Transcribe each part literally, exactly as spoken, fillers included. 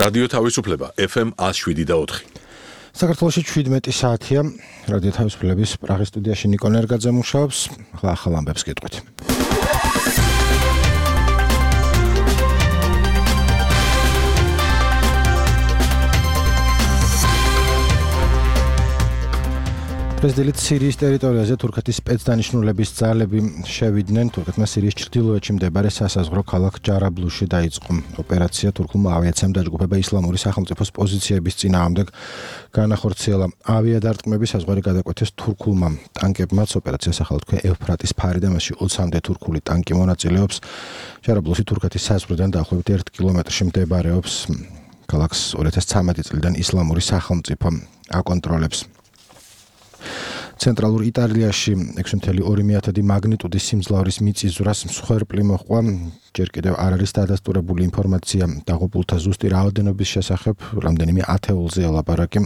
რადიო თავისუფლება ეფ ემ one oh seven და four. საქართველოში შვიდმეტი საათია. რადიო თავისუფლების პრაღის სტუდიაში ნიკო ნერგაძე მუშაობს. ახლა ახალ ამბებს გეტყვით. პრეზიდენტ სირიის ტერიტორიაზე თურქეთის სპეცდანიშნულების ძალები შევიდნენ. თურქეთმა სირიის ჩრდილოეთში მდებარე სასაზღვრო ქალაქ ჯარაბლუში დაიწყო ოპერაცია. თურქულმა ავიაციამ დაჯგუფება ისლამური სახელმწიფოს პოზიციების წინააღმდეგ განახორციელა. ავიადარტყმები საზღვარი გადაკვეთეს თურქულმა ტანკებმაც. ოპერაციას ახლა თქვა ევფრატის ფარი და მასში ოცამდე თურქული ტანკი მონაწილეობს. ჯარაბლუში თურქეთის საზღვრიდან დაახლოებით ერთ კილომეტრში მდებარეობს. ქალაქს ორი ათას ცხრამეტი წლიდან ისლამური სახელმწიფო აკონტროლებს. ცენტრალურ იტალიაში ექვსი კoma ორი მეათედი მაგნიტუდის სიმძლავრის მიწისძვრას მსხვერპლი მოჰყვა. ჯერ კიდევ არ არის დადასტურებული ინფორმაცია დაღუპულთა ზუსტი რაოდენობის შესახებ, რამდენიმე ათეულზეა ლაპარაკი.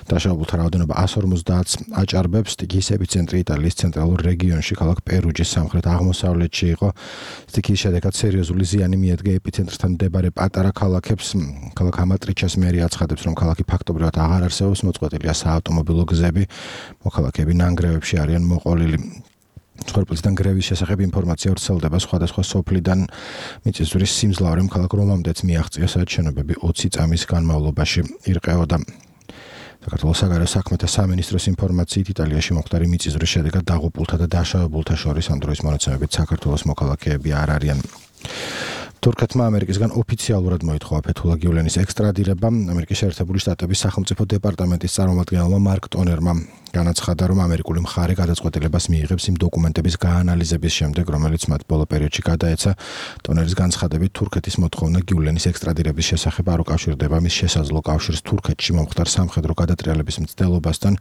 დაშავებულთა რაოდენობა one forty-ს აჭარბებს. სტიქიის ეპიცენტრი იტალიის ცენტრალურ რეგიონში, ქალაქ პერუჯის სამხრეთ აღმოსავლეთში იყო. სტიქიის შედეგად სერიოზული ზიანი მიადგა ეპიცენტრთან მდებარე პატარა ქალაქებს. ქალაქ ამატრიჩას მერი აცხადებს, რომ ქალაქი ფაქტობრივად აღარ არსებობს, მოწყვეტილია საავტომობილო გზები. მოქალაქეები ნანგრევებში არიან მოყოლილი. მსხვერპლისგან გრევის შესახებ ინფორმაცია ვრცელდება სხვადასხვა სოფლიდან. მიწისძვრის სიმძლავრემ ქალაქ რომამდეც მიაღწია, სადაც შენობები ოცი წამის განმავლობაში ირყეოდა. საქართველოს საგარეო საქმეთა სამინისტროს ინფორმაციით იტალიაში მომხდარი მიწისძვრის შედეგად დაღუპულთა და დაშავებულთა შორის ამ დროის მონაცემებით საქართველოს მოქალაქეები არ არიან. თურქეთმა ამერიკისგან ოფიციალურად მოითხოვა ფეთულა გიულენის ექსტრადირება. ამერიკის შეერთებული შტატების სახელმწიფო დეპარტამენტის წარმომადგენელმა მარკ ტონერმა განაცხადა, რომ ამერიკული მხარე გადაწყვეტილებას მიიღებს იმ დოკუმენტების გაანალიზების შემდეგ, რომელიც მათ ბოლო პერიოდში გადაეცა. ტონერის განცხადებით, თურქეთის მოთხოვნა გიულენის ექსტრადირების შესახებ არ უკავშირდება მის შესაძლო კავშირს თურქეთში მომხდარ სამხედრო გადატრიალების მცდელობასთან.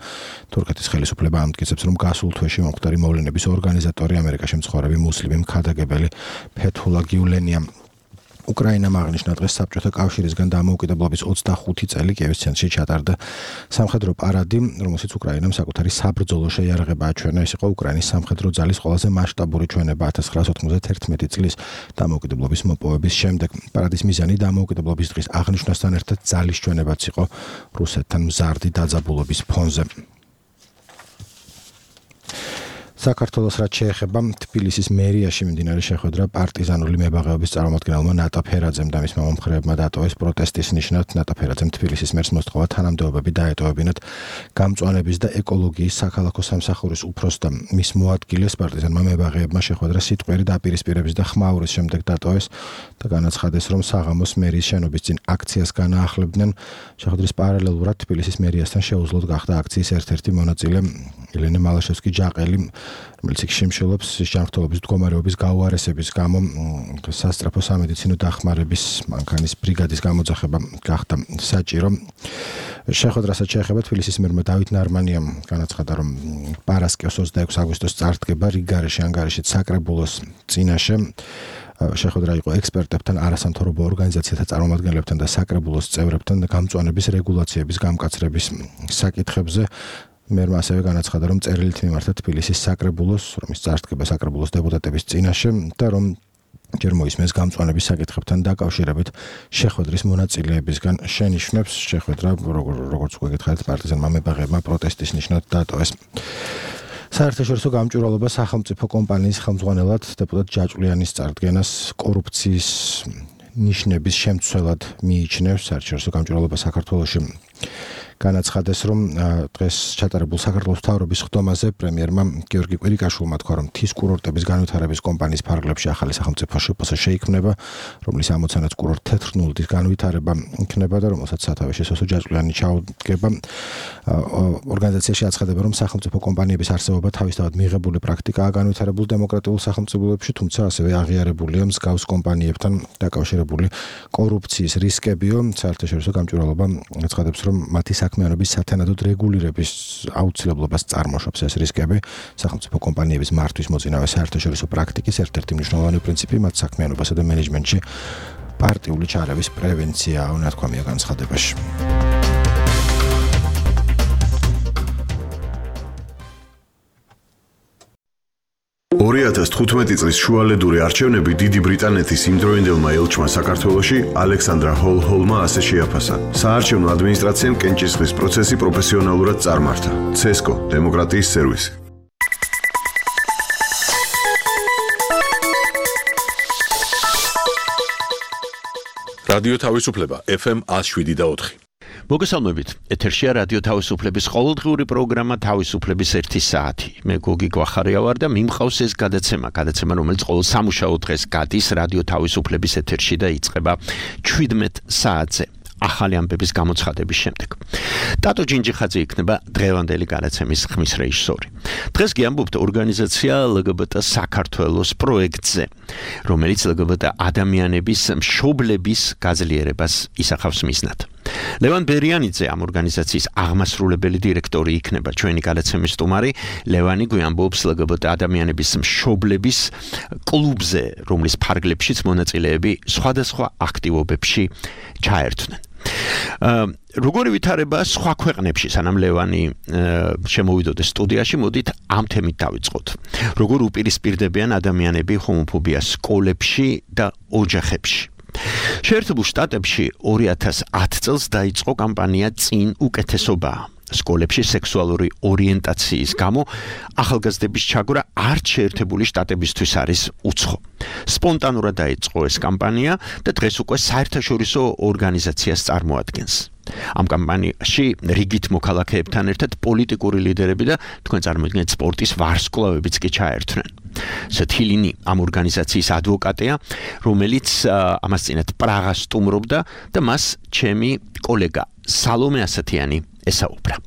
თურქეთის ხელისუფლება ამტკიცებს, რომ გასულ თვეში მომხდარი მოვლენების ორგანიზატორი ამერიკაში მცხოვრები მუსლიმი მხარდაგებელი ფეთულა გიულენია. უკრაინამ აღნიშნა დღეს საბჭოთა კავშირისგან დამოუკიდებლობის ოცდახუთი წელი კიევის ცენტრში ჩატარდა სამხედრო პარადი, რომელშიც უკრაინამ საკუთარი საბრძოლო შეიარაღება აჩვენა. ეს იყო უკრაინის სამხედრო ძალის ყველაზე მასშტაბური ჩვენება ათას ცხრაასი ოცდაათი წლის დამოუკიდებლობის მოპოვების შემდეგ. პარადის მიზანი დამოუკიდებლობის დღის აღნიშვნასთან ერთად ძალის ჩვენებაც იყო რუსეთთან მზარდი დაძაბულობის ფონზე. საქართველოს რაც შეეხება თბილისის მერიაში მიმდინარე შეხვედრა პარტიზანული მებაღეობის წარმომადგენელმა ნატა ფერაძემ და მისმა მომხრეებმა დატოვეს პროტესტის ნიშნად. ნატა ფერაძემ თბილისის მერს მოსთხოვა თანამდებობები დაეტოვებინათ გამწვანების და ეკოლოგიის საქალაქო სამსახურის უფროსს და მის მოადგილეს. პარტიზანმა მებაღეებმა შეხვედრა სიტყვიერი დაპირისპირების და ხმაურის შემდეგ დატოვეს და განაცხადეს, რომ საღამოს მერის შენობის წინ აქციას განაახლებდნენ. შეხვედრის პარალელურად თბილისის მერიასთან შეუძლოდ გახდა აქციის ერთ-ერთი მონაწილე ელენე მალაშევსკი-ჯაყელი, რომელიც შიმშილობს ჯანმრთელობის მდგომარეობის გაუარესების გამო სასწრაფო სამედიცინო დახმარების მანქანის ბრიგადის გამოძახება გახდა საჭირო. შეხვედრასაც შეეხება თბილისის მერმა დავით ნარმანიამ განაცხადა, რომ პარასკევს ოცდაექვსი აგვისტოს წარდგება რიგგარეში ანგარიშით საკრებულოს წინაშე. შეხვედრა იყო ექსპერტებთან, არასამთავრობო ორგანიზაციათა წარმომადგენლებთან და საკრებულოს წევრებთან გამწვანების რეგულაციების გამკაცრების საკითხებზე. მერმა ასევე განაცხადა, რომ წერილით მიმართა თბილისის საკრებულოს, რომ ის წარდგება საკრებულოს დეპუტატების წინაშე და რომ ჯერ მოისმენს გამწვანების საკითხებთან დაკავშირებით შეხვედრის მონაწილეებისგან შენიშვნებს. შეხვედრა, როგორც უკვე გითხარით, პარტიზანმა მებაღეებმა პროტესტის ნიშნად დატოვეს. საერთაშორისო გამჭვირვალობა სახელმწიფო კომპანიის ხელმძღვანელად დეპუტატ ჯაჭვლიანის წარდგენას კორუფციის ნიშნების შემცველად მიიჩნევს. საერთაშორისო გამჭვირვალობა საქართველოში განაცხადეს, რომ დღეს ჩატარებულ საქართველოს მთავრობის ხდომაზე პრემიერმა გიორგი კვირიკაშვილმა თქვა, რომ მთის კურორტების განვითარების კომპანიის ფარგლებში ახალი სახელმწიფო შპს შეიქმნება, რომლის ამოცანაც კურორტ თეთრ ნულდის განვითარება იქნება და რომელსაც სათავეში სოსო ჯაჭვლიანი ჩაუდგება. ორგანიზაციაში აცხადება, რომ სახელმწიფო კომპანიების არსებობა თავისთავად მიღებული პრაქტიკაა განვითარებულ დემოკრატიულ სახელმწიფოებში, თუმცა ასევე აღიარებულია მსგავს კომპანიებთან დაკავშირებული კორუფციის რისკებიო. საერთაშორისო გამჭვირვალობა აცხადებს, რომ მათი საქმიანობის სათანადოდ რეგულირების აუცილებლობას წარმოშობს ეს რისკები. სახელმწიფო კომპანიების მართვის მოწინავე საერთაშორისო პრაქტიკის ერთ-ერთი მნიშვნელოვანი პრინციპი მათ საქმიანობასა და მენეჯმენტში პარტიული ჩარევის პრევენციაა, ნათქვამია განცხადებაში. ორი ათას თხუთმეტი წლის შუალედური არჩევნები დიდი ბრიტანეთის იმდროინდელმა ელჩმა საქართველოში ალექსანდრა ჰოლ-ჰოლმა ასე შეაფასა. საარჩევნო ადმინისტრაციამ კენჭისყრის პროცესი პროფესიონალურად წარმართა. ცესკო, დემოკრატიის სერვისი. რადიო თავისუფლება ეფ ემ one oh seven და four. მოგესალმებით. ეთერშია რადიო თავისუფლების ყოველდღიური პროგრამა თავისუფლების ერთი საათი. მე გოგი გვახარია ვარ და მიმყავს ეს გადაცემა, გადაცემა რომელიც ყოველ სამუშაო დღეს გადის რადიო თავისუფლების ეთერში და იწყება შვიდმეტ საათზე. ახალი ამბების გამოცხადების შემდეგ. ტატო ჯინჯიხაძე იქნება დღევანდელი გადაცემის ხმის რეჟისორი. დღეს გიამბობთ ორგანიზაცია ელ გი ბი ტი საქართველოს პროექტზე, რომელიც ელ გი ბი ტი ადამიანების მშობლების გაძლიერებას ისახავს მიზნად. ლევან ბერიანიძე ამ ორგანიზაციის აღმასრულებელი დირექტორი იქნება ჩვენი გადაცემის სტუმარი. ლევანი გვიამბობს ელ გი ბი ტი ადამიანების მშობლების კლუბზე, რომლის ფარგლებშიც მონაწილეები სხვადასხვა აქტივობებში ჩაერთვნენ. როგორი ვითარება სხვა ქვეყნებში, სანამ ლევანი შემოვიდოდეს სტუდიაში, მოდით ამ თემით დავიწყოთ. როგორ უპირისპირდებიან ადამიანები ჰომოფობიას სკოლებში და ოჯახებში. შეერთებულ შტატებში ორი ათას ათი წელს დაიწყო კამპანია წინ უკეთესობა. სკოლებში სექსუალური ორიენტაციის გამო ახალგაზრდების ჩაგვრა არც შეერთებული შტატებისთვის არის უცხო. სპონტანურად დაიწყო ეს კამპანია და დღეს უკვე საერთაშორისო ორგანიზაციას წარმოადგენს. ამ კამპანიაში რიგით მოქალაქეებთან ერთად პოლიტიკური ლიდერები და თქვენ წარმოიდგინეთ სპორტის ვარსკვლავებიც კი ჩაერთვნენ. სეთილინი ამ ორგანიზაციის ადვოკატია, რომელიც ამას წინათ პრაღას სტუმრობდა და მას ჩემი კოლეგა სალომე ასათიანი ესაუბრა.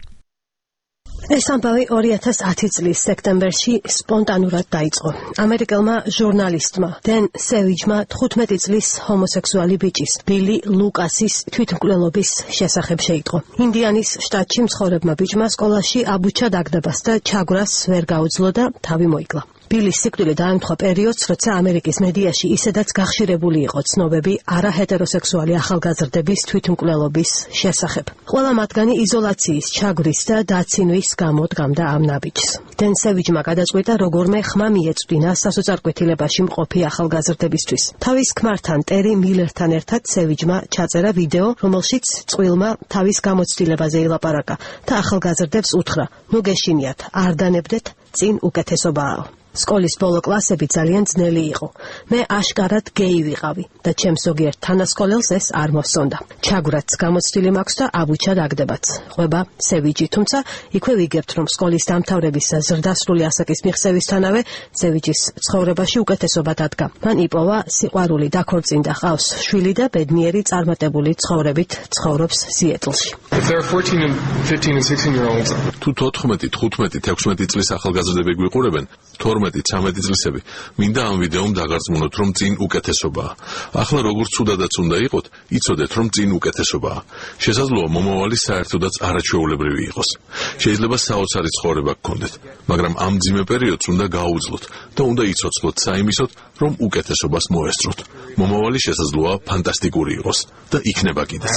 ეს ამბავი ორი ათას ათი წლის სექტემბერში სპონტანურად დაიწყო. ამერიკელმა ჟურნალისტმა დენ სევიჯმა თხუთმეტი წლის ჰომოსექსუალი ბიჭის ბილი ლუკასის თვითმკვლელობის შესახებ შეიტყო. ინდიანის შტატში მცხოვრებმა ბიჭმა სკოლაში აბუჩა დაგდებას და ჩაგვრას ვერ გაუძლო და თავი მოიკლა. ბილის სიკვდილი დაემთხვა პერიოდს, როცა ამერიკის მედიაში ისედაც გახშირებული იყო ცნობები არაჰეტეროსექსუალი ახალგაზრდების თვითმკვლელობის შესახებ. ყველა მათგანი იზოლაციის, ჩაგვრის და დაცინვის გამო დგამდა ამ ნაბიჯს. დენ სევიჯმა გადაწყვიტა როგორმე ხმა მიეწვდინა სასოწარკვეთილებაში მყოფი ახალგაზრდებისთვის. თავის ქმართან ტერი მილერთან ერთად სევიჯმა ჩაწერა ვიდეო, რომელშიც წყვილმა თავის გამოცდილებაზე ილაპარაკა და ახალგაზრდებს უთხრა: "ნუ გეშინიათ, არ დანებდეთ, წინ უკეთესობაა." სკოლის ბოლო კლასები ძალიან ძნელი იყო. მე აშკარად გეი ვიყავი და ჩემს ზოგიერთ თანასკოლელს ეს არ მოსონდა. ჩაგვრაც გამოცდილი მაქვს და აბუჩა დაგდებაც. ყვება სევიჯი, თუმცა იქვე ვიგებთ, რომ სკოლის დამთავრების ზრდასრული ასაკის მიღწევისთანავე სევიჯის ცხოვრებაში უკეთესობა დადგა. მან იპოვა სიყვარული, დაქორწინდა, ჰყავს შვილი და ბედნიერი წარმატებული ცხოვრებით ცხოვრობს სიეტლში. თუ თოთხმეტი, თხუთმეტი, თექვსმეტი წლის ახალგაზრდები გვიყურებენ, თორმეტი, ცამეტი წლისები, მინდა ამ ვიდეომ დაგარწმუნოთ, რომ წინ უკეთესობაა. ახლა როგორც ცუდადაც უნდა იყოთ, იცოდეთ, რომ წინ უკეთესობაა. შესაძლოა მომავალი საერთოდაც არაჩვეულებრივი იყოს. შეიძლება საოცარი ცხოვრება გქონდეთ, მაგრამ ამ მძიმე პერიოდს უნდა გაუძლოთ და უნდა იცოცხლოთ საიმისოდ, რომ უკეთესობას მოესწროთ. მომავალი შესაძლოა ფანტასტიკური იყოს და იქნება კიდეც.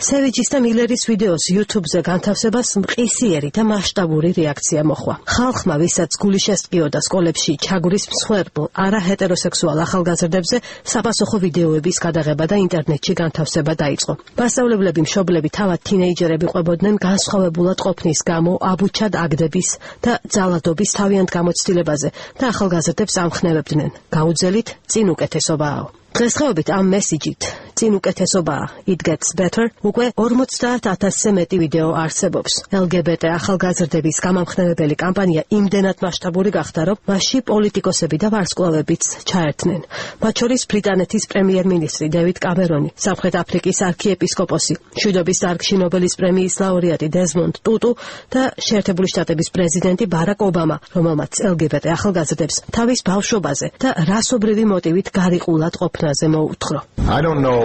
სევიჯის და მილერის ვიდეოს YouTube-ზე განთავსებას მყისიერი და მასშტაბური რეაქცია მოჰყვა. ხალხმა, ვისაც გული შესტყიოდა სკოლებში ჩაგვრის მსხვერპლ არაჰეტეროსექსუალ ახალგაზრდებზე, საპასუხო ვიდეოების გადაღება და ინტერნეტში განთავსება დაიწყო. მასწავლებლები, მშობლები, თავად თინეიჯერები ყვებოდნენ განსხვავებულად ყოფნის გამო აბუჩად აგდების და ძალადობის თავიანთ გამოცდილებაზე და ახალგაზრდებს ამხნევებდნენ: გაუძელით, წინ უკეთესობაა. დღესდღეობით ამ მესიჯით წინ უკეთესობაა, it gets better, უკვე ორმოცდაათ ათასზე მეტი ვიდეო არსებობს. ელ გი ბი ტი ახალგაზრდების გამამხნევებელი კამპანია იმდენად მასშტაბური გახდა, რომ მასში პოლიტიკოსები და ვარსკვლავებიც ჩაერთნენ. მათ შორის ბრიტანეთის პრემიერ-მინისტრი დევიდ კამერონი, სამხრეთ აფრიკის არქიეპისკოპოსი, მშვიდობის დარგში ნობელის პრემიის ლაურეატი დეზმონდ ტუტუ და შეერთებული შტატების პრეზიდენტი ბარაკ ობამა, რომელმაც ელ გი ბი ტი ახალგაზრდებს თავის ბავშვობაზე და რასობრივი მოტივით გარიყულად ყოფნა I don't know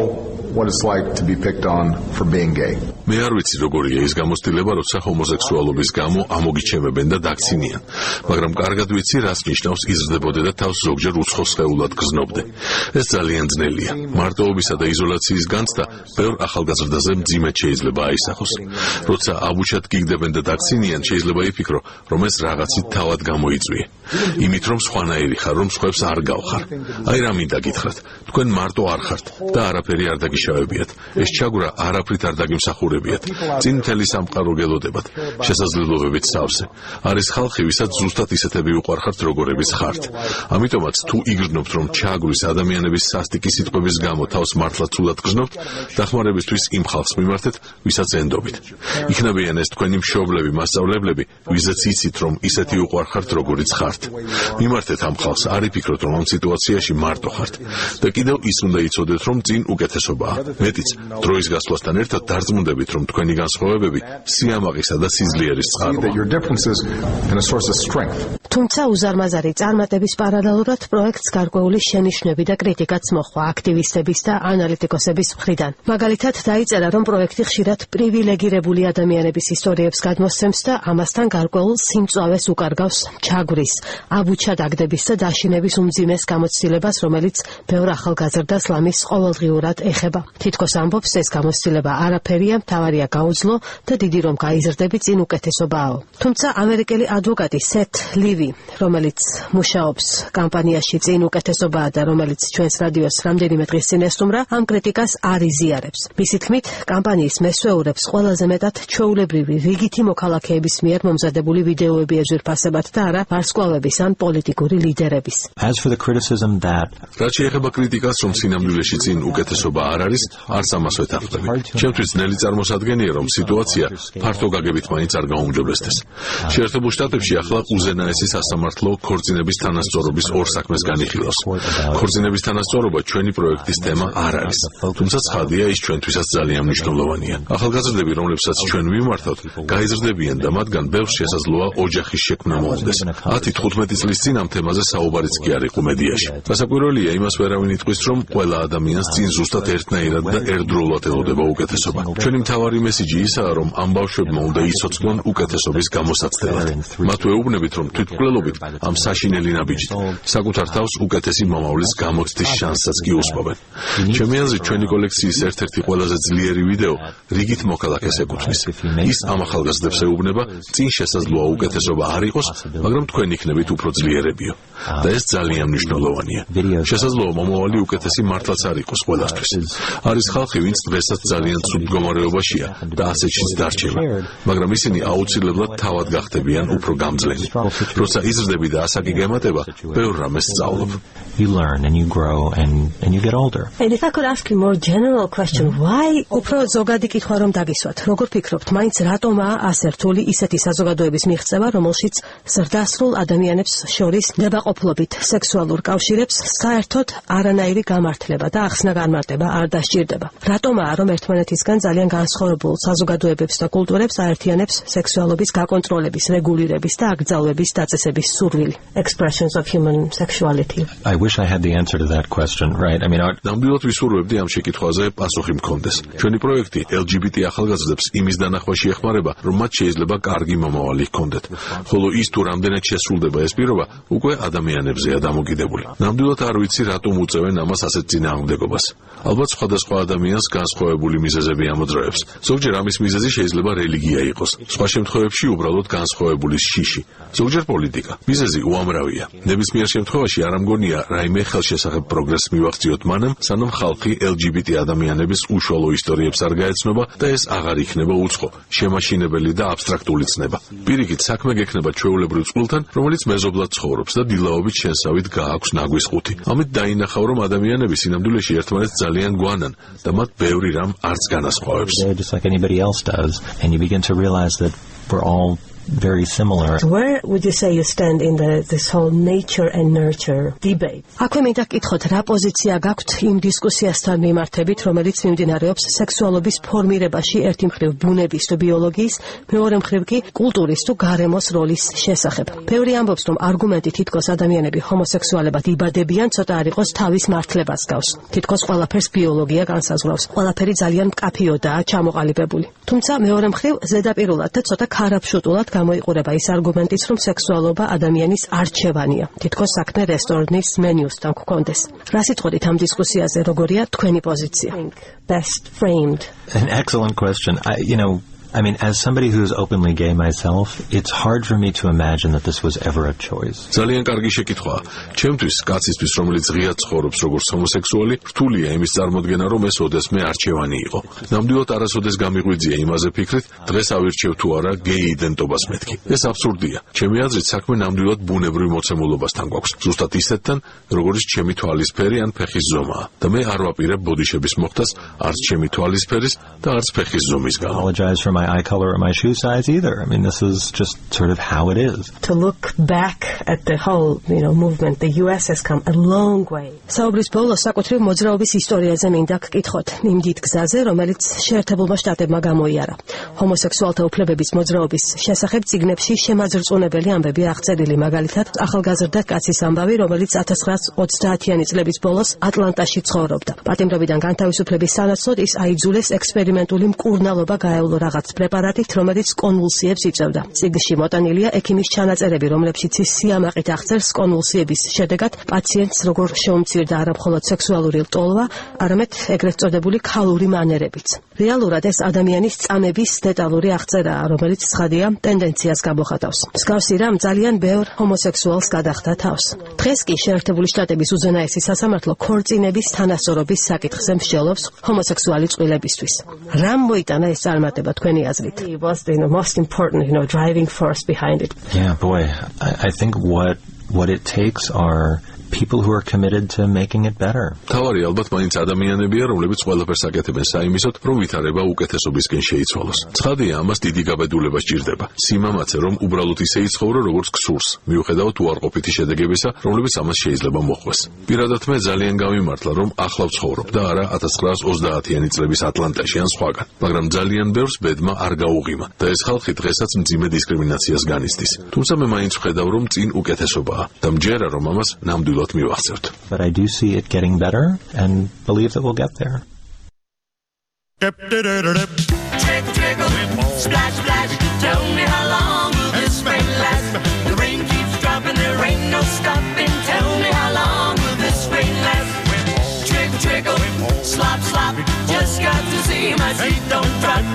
what it's like to be picked on for being gay. მე არ ვიცი როგორია ის გამოცდილება, როცა ჰომოსექსუალობის გამო ამოგიჩემებენ და დაქცინიან, მაგრამ კარგად ვიცი, რას ნიშნავს იზრდებოდე და თავს ზოგჯერ უცხო სხეულად გზნობდე. ეს ძალიან ძნელია. მარტოობისა და იზოლაციის განცდა ბევრ ახალგაზრდაზე მძიმედ შეიძლება აისახოს. როცა აბუჩად გიგდებენ და დაქცინიან, შეიძლება იფიქრო, რომ ეს რაღაცით თავად გამოიწვიე. იმით რომ სხვანაირი ხარ, რომ სხვებს არ გავხარ. აი რა მინდა გითხრათ, თქვენ მარტო არ ხართ და არაფერი არ დაგიშავებიათ. ეს ჩაგვრა არაფრით არ დაგიმსახურებიათ. წინ მთელი სამყარო გელოდებათ, შესაძლებლობებით სავსე. არის ხალხი, ვისაც ზუსტად ისეთები უყვარხართ, როგორებიც ხართ. ამიტომაც თუ იგრძნობთ, რომ ჩაგვის ადამიანების სასტიკი სიტყვების გამო თავს მართლა ცუდად გრძნობთ, დახმარებისთვის იმ ხალხს მიმართეთ, ვისაც ენდობით. იქნებიან ეს თქვენი მშობლები, მასწავლებლები, ვიზაც იცით, რომ ისეთი უყვარხართ, როგორიც ხართ. მიმართეთ ამ ხალხს, არ იფიქროთ, რომ ამ სიტუაციაში მარტო ხართ. და კიდევ ის უნდა იცოდეთ, რომ წინ უკეთესობაა. მეტიც, დროის გასვლასთან ერთად დარწმუნდებით, რომ თქვენი განსხვავებები სიამაყისა და სიძლიერის წყაროა. თუმცა უზარმაზარი წარმატების პარალელურად პროექტს გარკვეული შენიშვნები და კრიტიკაც მოჰყვა აქტივისტების და ანალიტიკოსების მხრიდან. მაგალითად, დაიწერა, რომ პროექტი ხშირად პრივილეგირებული ადამიანების ისტორიებს გადმოსცემს და ამასთან გარკვეულ სიმწვავეს უკარგავს ჩაგვრის, აბუჩადაგდების და დაშინების უმძიმეს გამოცდილებას, რომელიც ბევრ ახალგაზრდას ლამის ყოველდღიურად ეხება. თითქოს ამბობს, ეს გამოცდილება არაფერია, მთავარია გაუძლო და დიდი რომ გაიზრდები, წინ უკეთესობაო. თუმცა ამერიკელი ადვოკატი სეთ ლივი, რომელიც მუშაობს კამპანიაში წინ უკეთესობაა და რომელიც ჩვენს რადიოს რამდენიმე დღის წინ ესტუმრა, ამ კრიტიკას არ იზიარებს. მისი თქმით, კამპანიის მესვეურებს ყველაზე მეტად ჩვეულებრივი რიგითი მოქალაქეების მიერ მომზადებული ვიდეოები ეძვირფასებათ და არა ვარსკვლავების ან პოლიტიკური ლიდერების. რაც შეეხება კრიტიკას, რომ სინამდვილეში წინ უკეთესობა არ არის, არც ამას ვეთანხმები. ჩემთვის ძნელი წარმოსადგენია, რომ სიტუაცია ფართო გაგებით მაინც არ გაუმჯობესდეს. შეერთებულ შტატებში ახლა უზენაესი სასამართლო ქორწინების თანასწორობის ორ საქმეს განიხილავს. ქორწინების თანასწორობა ჩვენი პროექტის თემა არ არის. თუმცა ცხადია, ის ჩვენთვისაც ძალიან მნიშვნელოვანია. ახალგაზრდები, რომლებსაც ჩვენ ვიმართავთ, გაიზრდებიან და მათგან ბევრს შესაძლოა ოჯახის შექმნა მოუხდეს. ათი თხუთმეტი წლის წინ ამ თემაზე საუბარიც კი არ იყო მედიაში. გასაკვირველია, იმას ვერავინ იტყვის, რომ ყველა ადამიანს წინ ზუსტად ერთნაირად და ერთდროულად ელოდება უკეთესობა. ჩვენი მთავარი მესიჯი ისაა, რომ ამ ბავშვებმა უნდა იცოცხლონ უკეთესობის გამოსაცდელად. მათ ვეუბნებით, რომ თვითმკვლელობით ამ საშინელი ნაბიჯით საკუთარ თავს უკეთესი მომავლის გამოცდის შანსსაც კი უსპობენ. ჩემი აზრით, ჩვენი კოლექციის ერთ-ერთი ყველაზე ძლიერი ვიდეო რიგით მოქალაქეს ეკუთვნის. ის ამ ახალგაზრდებს ეუბნება, წინ შესაძლოა უკეთესობა არ იყოს, მაგრამ თქვენ იქნებით უფრო ძლიერებიო. და ეს ძალიან მნიშვნელოვანია. შესაძლოა მომავალი უკეთესი მართლაც არ იყოს ყველასთვის. არის ხალხი, ვინც დღესაც ძალიან ცუდ მდგომარეობაშია და ასეთშიც დარჩება, მაგრამ ისინი აუცილებლად თავად გახდებიან უფრო გამძლენი. როცა იზრდები და ასაკი გემატება, ბევრ რამეს სწავლობ. You learn and you grow and and you get older. And if I could ask you more general question, why უფრო ზოგადი კითხვა რომ დაგისვათ, როგორ ფიქრობთ, მაინც რატომაა ასე რთული ისეთი საზოგადოების მიღწევა, რომელშიც ზრდასრულ ადამიანებს შორის ნებაყოფლობით სექსუალურ კავშირებს საერთოდ არანაირი გამართლება და ახსნა განმარტება არ დასჭირდება. რატომაა, რომ ერთმანეთისგან ძალიან განსხვავებულ საზოგადოებებს და კულტურებს აერთიანებს სექსუალობის გაკონტროლების, რეგულირების და აკრძალვების დაწესების სურვილი? Expressions of human sexuality. I wish I had the answer to that question, right? I mean, our... ნამდვილად ვისურვებდი ამ შეკითხვაზე პასუხი მქონდეს. ჩვენი პროექტი ელ ჯი ბი ტი ახალგაზრდებს იმის დანახვაში ეხმარება, რომ მათ შეიძლება კარგი მომავალი ჰქონდეთ. ხოლო ის თუ რამდენად შესრულდება ეს პირობა, უკვე ადამიანებზეა დამოკიდებული. ნამდვილად არ ვიცი, რატომ უწევენ ამას ასეთ წინააღმდეგობას. ალბათ სხვადასხვა ადამიანს განსხვავებული მიზეზები ამოძრავებს. ზოგჯერ ამის მიზეზი შეიძლება რელიგია იყოს. სხვა შემთხვევებში უბრალოდ განსხვავებული შიში. ზოგჯერ პოლიტიკა. მიზეზი უამრავია. ნებისმიერ შემთხვევაში არ ამგონია რაიმე ხელშესახებ პროგრესს მივახციოთ მანამ, სანამ ხალხი ელ ჯი ბი ტი ადამიანების უშუალო ისტორიებს არ გაეცნობა და ეს აღარ იქნება უცხო, შემაშინებელი და აბსტრაქტული ცნება. პირიქით, საქმე გექნება ჩვეულებრივ წყვილთან, რომელიც მეზობლად ცხოვრობს და დილაობით შენსავით გააქვს ნაგვის ყუთი. ამით დაინახავ, რომ ადამიანები სინამდვილეში ერთმანეთს ძალიან გვანან და მათ ბევრი რამ არც განასხვავებს. Just like anybody else does, and you begin to realize that we're all very similar. Where would you say you stand in the this whole nature and nurture debate? აქვე მინდა გკითხოთ, რა პოზიცია გაქვთ იმ დისკუსიასთან მიმართებით, რომელიც მიმდინარეობს სექსუალობის ფორმირებაში ერთი მხრივ ბუნების თუ ბიოლოგიის, მეორე მხრივ კი კულტურის თუ გარემოს როლის შესახებ. ბევრი ამბობს, რომ არგუმენტი თითქოს ადამიანები ჰომოსექსუალებად იბადებიან, ცოტა არ იყოს თავის მართლებას გავს. თითქოს ყველაფერს ბიოლოგია განსაზღვრავს. ყველაფერი ძალიან მკაფიოდაა ჩამოყალიბებული. თუმცა მეორე მხრივ ზედაპირულად და ცოტა ქარაფშუტულად გამოიყურება ის არგუმენტიც, რომ სექსუალობა ადამიანის არჩევანია. თითქოს საქმე რესტორნის მენიუსთან გქონდეს. რა სიტყვით ამ დისკუსიაზე როგორია თქვენი პოზიცია? Best framed. An excellent question. I, you know, I mean, as somebody who's openly gay myself, it's hard for me to imagine that this was ever a choice. ძალიან კარგი შეკითხვაა. ჩემთვის, კაცისთვის, რომელიც ღია ცხოვრობს როგორც ჰომოსექსუალი, რთულია იმის წარმოდგენა, რომ ეს ოდესმე არჩევანი იყო. ნამდვილად არასოდეს გამიღვიძია იმაზე ფიქრით, დღეს ავირჩევ თუ არა გეი იდენტობას მეთქი. ეს აბსურდია. ჩემი აზრით, საქმე ნამდვილად ბუნებრივ მოცემულობასთან გვაქვს. ზუსტად ისეთთან, როგორც ჩემი თვალისფერი ან ფეხის ზომაა. და მე არ ვაპირებ ბოდიშების მოხდას არც ჩემი თვალისფერის და არც ფეხის ზომის გამო. Apologize for my eye color or my shoe size either. I mean, this is just sort of how it is. To look back at the whole, you know, movement, the U S has come a long way. საუბრის ბოლოს საკუთრივ მოძრაობის ისტორიაზე მინდა გკითხოთ იმ დიდ გზაზე, რომელიც შეერთებულმა შტატებმა გამოიარა. ჰომოსექსუალთა უფლებების მოძრაობის შესახებ წიგნებში შემაძრწუნებელი ამბები აღწერილი, მაგალითად, ახალგაზრდა კაცის ამბავი, რომელიც ათას ცხრაას ოცდაათიანი წლების ბოლოს ატლანტაში ცხოვრობდა. პატიმრობიდან განთავისუფლების სანაცვლოდ ის აიძულეს ექსპერიმენტული მკურნალობა გაევლო რაღაც პრეპარატით, რომელიც კონვულსიებს იწვევდა. წიგნში მოტანილია ექიმის ჩანაწერები, რომლებშიც ის სიამაყით აღწერს კონვულსიების შედეგად პაციენტს როგორ შეუმცირდა არა მხოლოდ სექსუალური ლტოლვა, არამედ ეგრეთ წოდებული ქალური მანერებიც. რეალურად ეს ადამიანის წამების დეტალური აღწერაა, რომელიც ცხადია ტენდენციას გამოხატავს. მსგავსი რამ ძალიან ბევრ ჰომოსექსუალს გადახდა თავს. დღეს კი შეერთებული შტატების უზენაესი სასამართლო ქორწინების თანასწორობის საკითხზე მსჯელობს ჰომოსექსუალი წყვილებისთვის. რამ მოიტანა ეს წარმატება თქვენი აზრით? It was the most important, you know, driving force behind it. Yeah, boy, I, I think what what it takes are people who are committed to making it better. თავარი ალბათ მაინც ადამიანებია, რომლებიც ყველაფერს აკეთებენ საიმისოდ, რომ ვითარება უკეთესობისკენ შეიცვალოს. ცხადია, ამას დიდი გაბედულება სჭირდება. სიმამაცე, რომ უბრალოდ ისე იცხოვრო, როგორც გსურს, მიუხედავად უარყოფითი შედეგებისა, რომლებიც ამას შეიძლება მოხვდეს. პირადად მე ძალიან გავიმართლა, რომ ახლა ვცხოვრობ და არა ათას ცხრაას ოცდაათიანი წლების ატლანტაში ან სხვაგან, მაგრამ ძალიან ბევრს ბედმა არ გაუღიმა და ეს ხალხი დღესაც მძიმე დისკრიმინაციას განიცდის. თუმცა მე მაინც ვხედავ, რომ წინ უკეთესობაა და მჯერა, რომ ამას ნამდვილად But I do see it getting better and believe that we'll get there. Trickle, trickle, splash, splash. Tell me how long will this rain last? The rain keeps dropping, there ain't no stopping. Tell me how long will this rain last? Trickle, trickle, slop, slop. Just got to see my feet don't drop.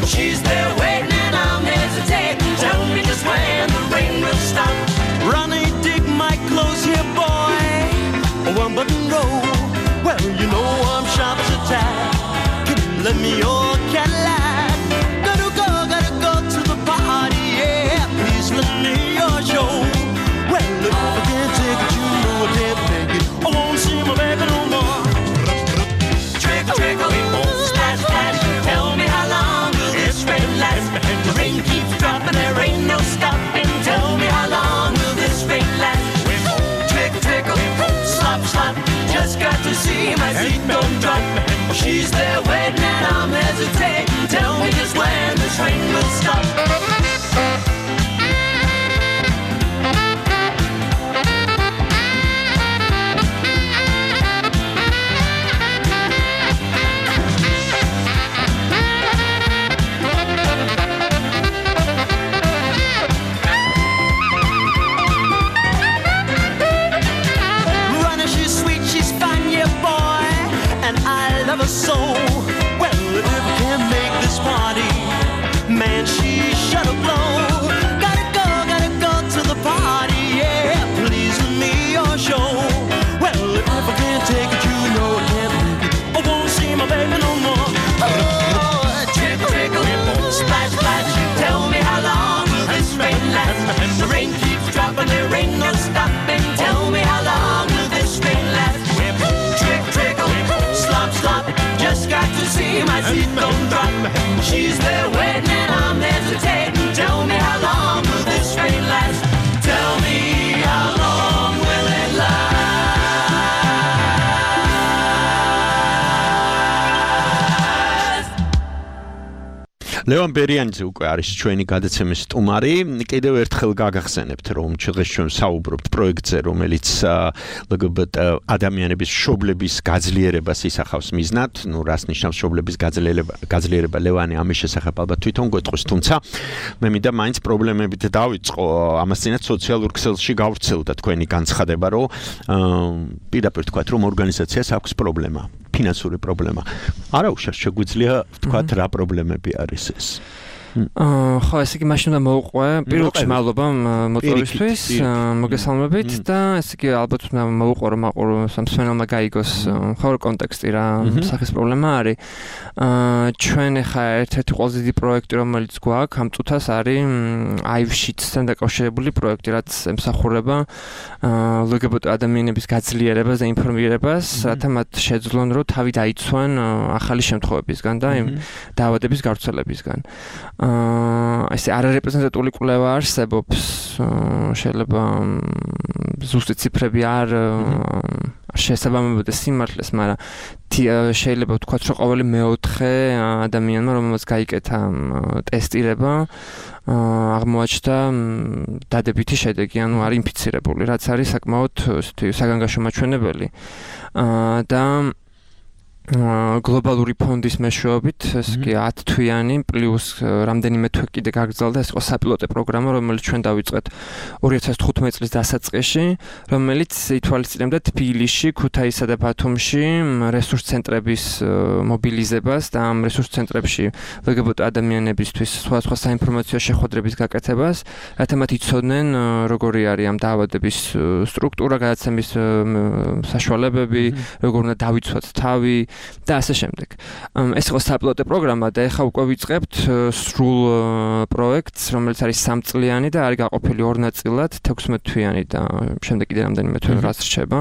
She's there waiting and I'm hesitating. Tell me just when the rain will stop. Ronnie, dig my clothes here, boy. One button roll. Well, you know I'm sharp as a tack. Can you lend me your Cadillac? Gotta go, gotta go to the party, yeah. Please lend me your show. Well, if I can't take it, you know I can't make it. I won't see my baby no more. Trickle, trickle, splash, splash. Tell me how long will this rain last? The rain keeps dropping, there ain't no stopping. Tell me how long will this rain last? Trickle, trickle, slop, slop. Just got to see my feet don't drop. She's there waiting and I'm hesitating. Tell me just when this rain will stop. Love her so well. If I can't make this party, man, she should have blown. Gotta go, gotta go to the party, yeah. Please let me your show. Well, if I can't take it, you know I can't make it. I won't see my baby no more. Oh, trickle, trickle, splash, splash. Tell me how long will this rain last? The rain keeps dropping, there ain't no stopping. Tell me how long will this rain last? Trickle, trickle, slop, slop. Just got to see my feet don't drop. She's there waiting and I'm hesitating. Tell me how long ლევან ბერიანიძე უკვე არის ჩვენი გადაცემის სტუმარი. კიდევ ერთხელ გაგახსენებთ, რომ დღეს ჩვენ საუბრობთ პროექტზე, რომელიც ლგბტ ადამიანების მშობლების გაძლიერებას ისახავს მიზნად. ნუ რას ნიშნავს მშობლების გაძლიერება? გაძლიერება ლევანი ამის შესახებ ალბათ თვითონ გვეტყვის, თუმცა მე მინდა მაინც პრობლემებით დავიწყო. ამას წინათ სოციალურ ქსელში გავრცელდა თქვენი განცხადება, რომ პირდაპირ თქვათ, რომ ორგანიზაციას აქვს პრობლემა, ფინანსური პრობლემა. არა უშავს შეგვიძლია თქვათ რა პრობლემები არის ეს? ხო, ესე იგი მაშინ უნდა მოვყვე. პირველ რიგში მადლობა მოწვევისთვის, მოგესალმებით და ესე იგი ალბათ უნდა მოვყვე რომ აყურო სამსვენელმა გაიგოს მხოლოდ კონტექსტი რა სახის პრობლემა არის. ჩვენ ახლა ერთ-ერთი ყველაზე დიდი პროექტი რომელიც გვაქვს ამ წუთას არის I V Sheets-თან დაკავშირებული პროექტი, რაც ემსახურება ლგბტ ადამიანების გაძლიერებას და ინფორმირებას, რათა მათ შეძლონ რომ თავი დაიცვან ახალი შემთხვევებისგან და იმ დაავადების გავრცელებისგან. აა ესე არარეპრეზენტატიული კვლევა არსებობს, შეიძლება ზუსტი ციფრები არ შესაბამებოდეს სიმართლეს, მაგრამ შეიძლება ვთქვათ, რომ ყოველი მეოთხე ადამიანმა, რომელსაც გაიკეთა ტესტირება, აღმოაჩნდა დადებითი შედეგი, ანუ არის ინფიცირებული, რაც არის საკმაოდ საგანგაშო მაჩვენებელი. აა და გლობალური ფონდის მეშვეობით, ეს კი ათი თვიანი პლუს რამდენიმე თვე კიდე გაგრძელდა, ეს იყო საპილოტო პროგრამა, რომელიც ჩვენ დავიწყეთ ორი ათას თხუთმეტი წლის დასაწყისში, რომელიც ითვალისწინებდა თბილისში, ქუთაისსა და ბათუმში რესურს ცენტრების მობილიზებას და ამ რესურს ცენტრებში ლგბტ ადამიანებისთვის სხვადასხვა საინფორმაციო შეხვედრების გაკეთებას, რათა მათ იცოდნენ როგორი არის ამ დაავადების სტრუქტურა, გადაცემის საშუალებები, როგორ უნდა დავიცვათ თავი და ასე შემდეგ. ეს იყო საპილოტო პროგრამა და ეხლა უკვე ვიწყებთ სრულ პროექტს, რომელიც არის სამწლიანი და არის გაყოფილი ორ ნაწილად, თექვსმეტ თვიანი და შემდეგ კიდე რამდენიმე თვე რაც რჩება.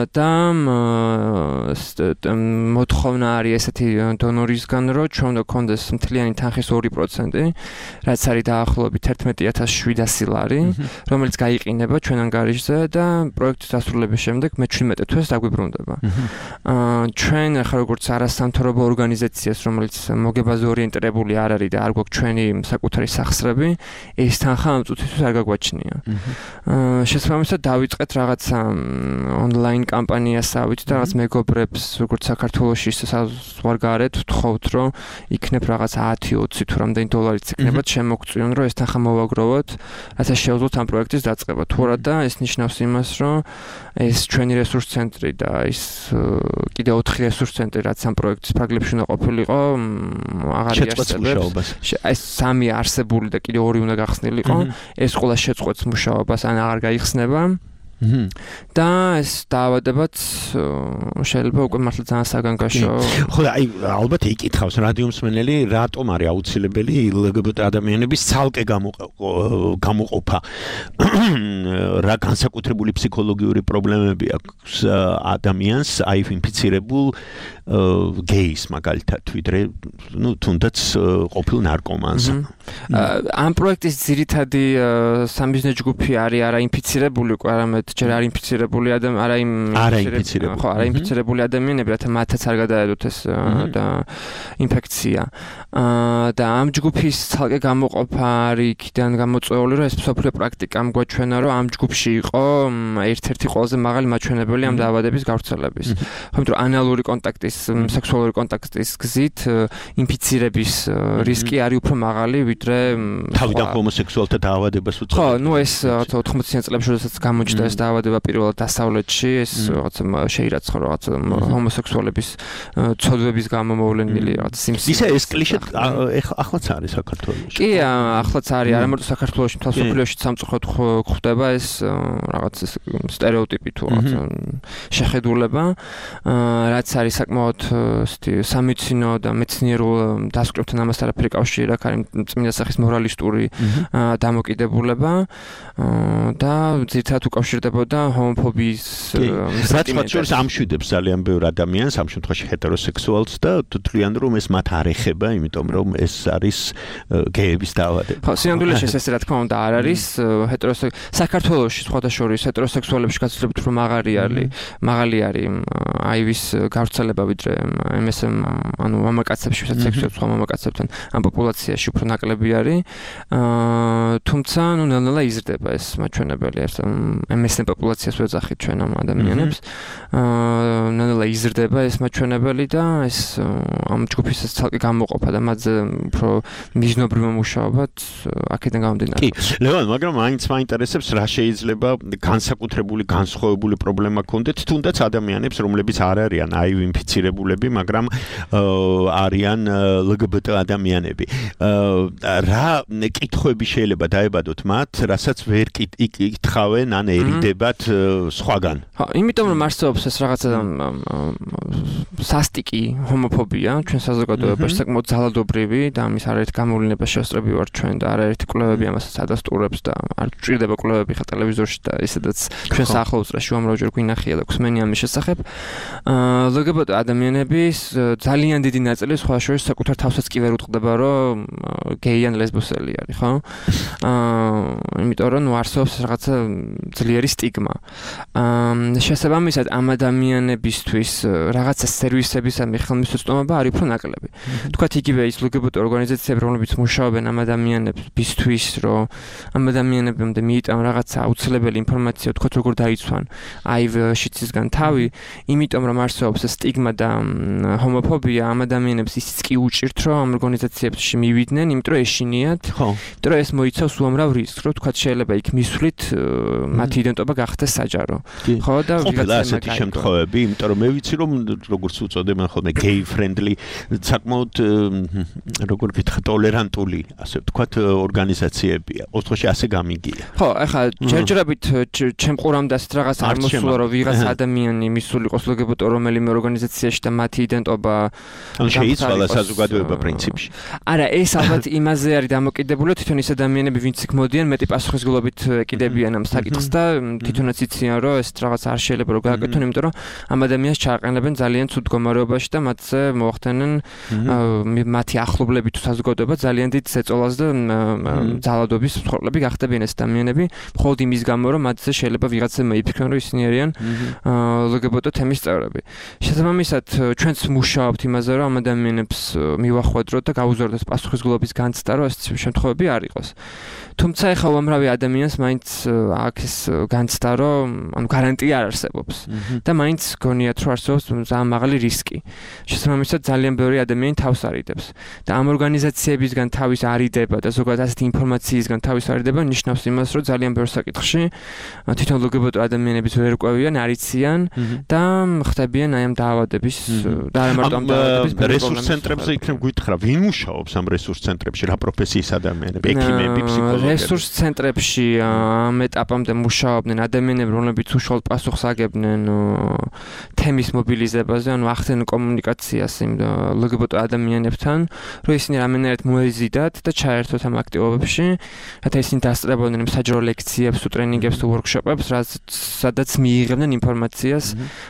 და მოთხოვნა არის ესეთი დონორისგან, რომ ჩვენ უნდა გქონდეს მთლიანი თანხის ორი პროცენტი, რაც არის დაახლოებით ერთმეტი ათას შვიდასი ლარი, რომელიც გაიყინება ჩვენ ანგარიშზე და პროექტის დასრულების შემდეგ მე ჩვიდმეტ თვეს დაგვიბრუნდება. ჩვენ ახლა როგორც არასამთავრობო ორგანიზაციას, რომელიც მოგებაზე ორიენტირებული არ არის და არ გვაქვს ჩვენი საკუთარი სახსრები, ეს თანხა ამ წუთისთვის არ გაგვაჩნია. შესაბამისად დავიწყეთ რაღაცა ონლაინ კამპანიასავით და რაღაც მეგობრებს, როგორც საქართველოში, ისე საზღვარგარეთ ვთხოვთ, რომ იქნებ რაღაც ათი ოცი თუ რამდენი დოლარიც იქნებათ შემოგწვიონ, რომ ეს თანხა მოვაგროვოთ, რათა შევძლოთ ამ პროექტის დაწყება. თუ არა და ეს ნიშნავს იმას, რომ ეს ჩვენი რესურს ცენტრი და ის კიდე ოთხი რესურს ცენტრი, რაც ამ პროექტის ფარგლებში უნდა ყოფილიყო, აღარ იარსებებს. ეს სამი არსებული და კიდე ორი უნდა გახსნილიყო. ეს ყველა შეწყვეტს მუშაობას, ან აღარ გაიხსნება. და ეს დაავადებაც შეიძლება უკვე მართლა ძალიან საგანგაშო. ხო, აი ალბათ იკითხავს რადიო მსმენელი, რატომ არის აუცილებელი ლგბტ ადამიანების ცალკე გამოყოფა? რა განსაკუთრებული ფსიქოლოგიური პრობლემები აქვს ადამიანს, აი ინფიცირებულ გეის მაგალითად, ვიდრე ნუ თუნდაც ყოფილ ნარკომანს. ამ პროექტის ძირითადი სამიზნე ჯგუფი არის არა ინფიცირებული, უკვე არამედ ჯერ არ ინფიცირებული ადამიანები, არა ინფიცირებული, ხო, არა ინფიცირებული ადამიანები, რათა მათაც არ გადაედოთ ეს და ინფექცია. და ამ ჯგუფის ცალკე გამოყოფა არის იქიდან გამოწვეული, რომ ეს მსოფლიო პრაქტიკამ გვაჩვენა, რომ ამ ჯგუფში იყო ერთ-ერთი ყველაზე მაღალი მაჩვენებელი ამ დაავადების გავრცელების. ხომ რომ ანალური კონტაქტის, სექსუალური კონტაქტის გზით ინფიცირების რისკი არის უფრო მაღალი, ვიდრე თავიდან ჰომოსექსუალთა დაავადებას უწევს. ხო, ნუ ეს რაღაცა ოთხმოციან წლებში, როდესაც გამოჩნდა ეს დაავადება პირველად დასავლეთში, ეს რაღაცა შეირაცხა რაღაცა ჰომოსექსუალების ცოდვების გამო მოვლენილი რაღაც სიმსივნე. ისა ეს კლიშე ახლაც არის საქართველოში. კი, ახლაც არის, არა მარტო საქართველოში, მთელ მსოფლიოში სამწუხაროდ გვხვდება ეს რაღაც სტერეოტიპი თუ რაღაცა შეხედულება, რაც არის საკმაოდ სამეცნიერო და მეცნიერულ დასკვნებთან ამას არაფერი კავშირი აქვს, არის წმინდა სახის მორალისტური დამოკიდებულება და ძირითადად უკავშირდება მჭირდებოდა ჰომოფობიის რაც ამშვიდებს ძალიან ბევრ ადამიანს, ამ შემთხვევაში ჰეტეროსექსუალს და თვლიან რომ ეს მათ არ ეხება, იმიტომ რომ ეს არის გეების დაავადება. ხო, სინამდვილეში ესე რა თქმა უნდა არ არის ჰეტეროსექსუალ საქართველოში სხვადასხვა ჰეტეროსექსუალებში გაცილებით უფრო მაღალი არის, მაღალი არის აივის გავრცელება ვიდრე ემ ეს ემ, ანუ მამაკაცებში, ვისაც სექსუალურ სხვა მამაკაცებთან ამ პოპულაციაში უფრო ნაკლები არის. თუმცა, ნუ ნელ-ნელა იზრდება ეს მაჩვენებელი, ემ ეს ემ პოპულაციას ვეძახით ჩვენ ამ ადამიანებს. ნელ-ნელა იზრდება ეს მაჩვენებელი და ეს ამ ჯგუფის ცალკე გამოყოფა და მათზე უფრო მიზნობრივ მუშაობად აქედან გამომდინარე. კი, ლევან, მაგრამ მაინც მაინტერესებს რა შეიძლება განსაკუთრებული განსხვავებული პრობლემა ქონდეთ თუნდაც ადამიანებს, რომლებიც არ არიან აივ ინფიცირებულები, მაგრამ არიან ლ გბ ტ ადამიანები. რა კითხვები შეიძლება დაებადოთ მათ, რასაც ვერ იკითხავენ ან ერიდებათ სხვაგან? ხო, იმიტომ რომ არსებობს ეს რაღაცა სასტიკი ჰომოფობია ჩვენ საზოგადოებაში საკმაოდ ძალადობრივი და ამის არაერთი გამოვლენა შესწრები ვარ ჩვენ და არაერთი კვლევები ამასაც ადასტურებს და არ ჭირდება კვლევები ხა ტელევიზორში და ისედაც ჩვენ საახლოვსრაში უამრავჯერ გვინახია და გვსმენია ამის შესახებ. ლ გბ ტ ადამიანების ძალიან დიდი ნაწილი სხვა შორის საკუთარ თავსაც კი ვერ უტყდება რომ გეი ან ლესბოსელი არის, ხო? აა იმიტომ რომ არსებობს რაღაცა ძლიერი სტიგმა. აა შესაბამისად ამ ადამიანებისთვის რაღაცა სერვისების ამ ხელმისაწვდომობა არის უფრო ნაკლები. თქვათ იგივე ის ლ გ ბ ტ ორგანიზაციები, რომლებიც მუშაობენ ამ ადამიანებისთვის, რომ ამ ადამიანებამდე მიიტანონ რაღაცა აუცილებელი ინფორმაცია, თქვათ როგორ დაიცვან აივ შიცისგან თავი, იმიტომ რომ არსებობს სტიგმა და ჰომოფობია ამ ადამიანებს ისიც კი უჭირთ, რომ ამ ორგანიზაციებში მივიდნენ, იმიტომ რომ ეშინიათ, იმიტომ რომ ეს მოიცავს უამრავ რისკს, რომ თქვათ შეიძლება იქ მისვლით მათი იდენტობა გახდეს საჯარო. ხო და ვიღაცა ასეთი შემთხვევები, იმიტომ რომ მე ვიცი რომ როგორც უწოდებენ ხოლმე gay friendly, საკმაოდ როგორ ვთქვა ტოლერანტული, ასე ვთქვათ, ორგანიზაციებია. ოთხში ასე გამიგია. ხო, ახლა ჯერჯერობით ჩემ ყურამდე ასეთ რაღაც არ მოსულა, რომ ვიღაც ადამიანი მისული იყოს ლ გ ბ ტ რომელიმე ორგანიზაციაში და მათი იდენტობა ან შეიცვალა საზოგადოება პრინციპში. არა, ეს ალბათ იმაზე არის დამოკიდებული, თვითონ ის ადამიანები, ვინც იქ მოდიან, მეტი პასუხისმგებლობით ეკიდებიან ამ საკითხს და თვითონაც იციან, რომ ეს რაღაც არ შეიძლება რომ გააკეთონ, იმიტომ რომ ამ ადამიანს ჩააყენებენ ძალიან ცუდ მდგომარეობაში და მათზე მოახდენენ მათი ახლობლები თუ საზოგადოება ძალიან დიდ ზეწოლას და ძალადობის მსხვერპლები გახდებიან ეს ადამიანები, მხოლოდ იმის გამო, რომ მათზე შეიძლება ვიღაცა მეიფიქრონ, რომ ისინი არიან ლ გ ბ ტ თემის წევრები. შესაბამისად, ჩვენც მუშაობთ იმაზე, რომ ამ ადამიანებს მივახვედროთ და გაუზრდოთ ეს პასუხისმგებლობის განცდა, რომ ეს შემთხვევები არ იყოს. თუმცა ეხლა უამრავი ადამიანს მაინც აქ ეს განცდა, რომ ანუ გარანტია არ არსებობს და მაინც გონიათ, რომ არსებობს ძალიან მაღალი რისკი. შესაბამისად, ძალიან ბევრი ადამიანი თავს არიდებს და ამ ორგანიზაციებისგან თავის არიდება და ზოგადად ასეთი ინფორმაციისგან თავის არიდება ნიშნავს იმას, რომ ძალიან ბევრ საკითხში თვითონ ლ გ ბ ტ ადამიანების ვერ ყვევიან, არ იციან და ხდებიან აი ამ დაავადების და არა მარტო ამ დაავადების რესურს ცენტრებზე იქნებ გითხრა, ვინ მუშაობს ამ რესურს ცენტრებში, რა პროფესიის ადამიანები, ექიმები, ფსიქოლოგები? რესურს ცენტრებში ამ ეტაპამდე მუშაობდნენ ადამიანები, რომლებიც უშუალოდ პასუხს აგებდნენ თემის მობილიზებაზე, ანუ ახდენენ კომუნიკაციას იმ ლ გ ბ ტ ადამიანებთან, რომ ისინი რამენერად მოეზიდათ და ჩაერთოთ ამ აქტივობებში, რათა ისინი დასწრებოდნენ საჯარო ლექციებს, თუ ტრენინგებს, თუ ვორქშოპებს, სადაც მიიღებდნენ ინფორმაციას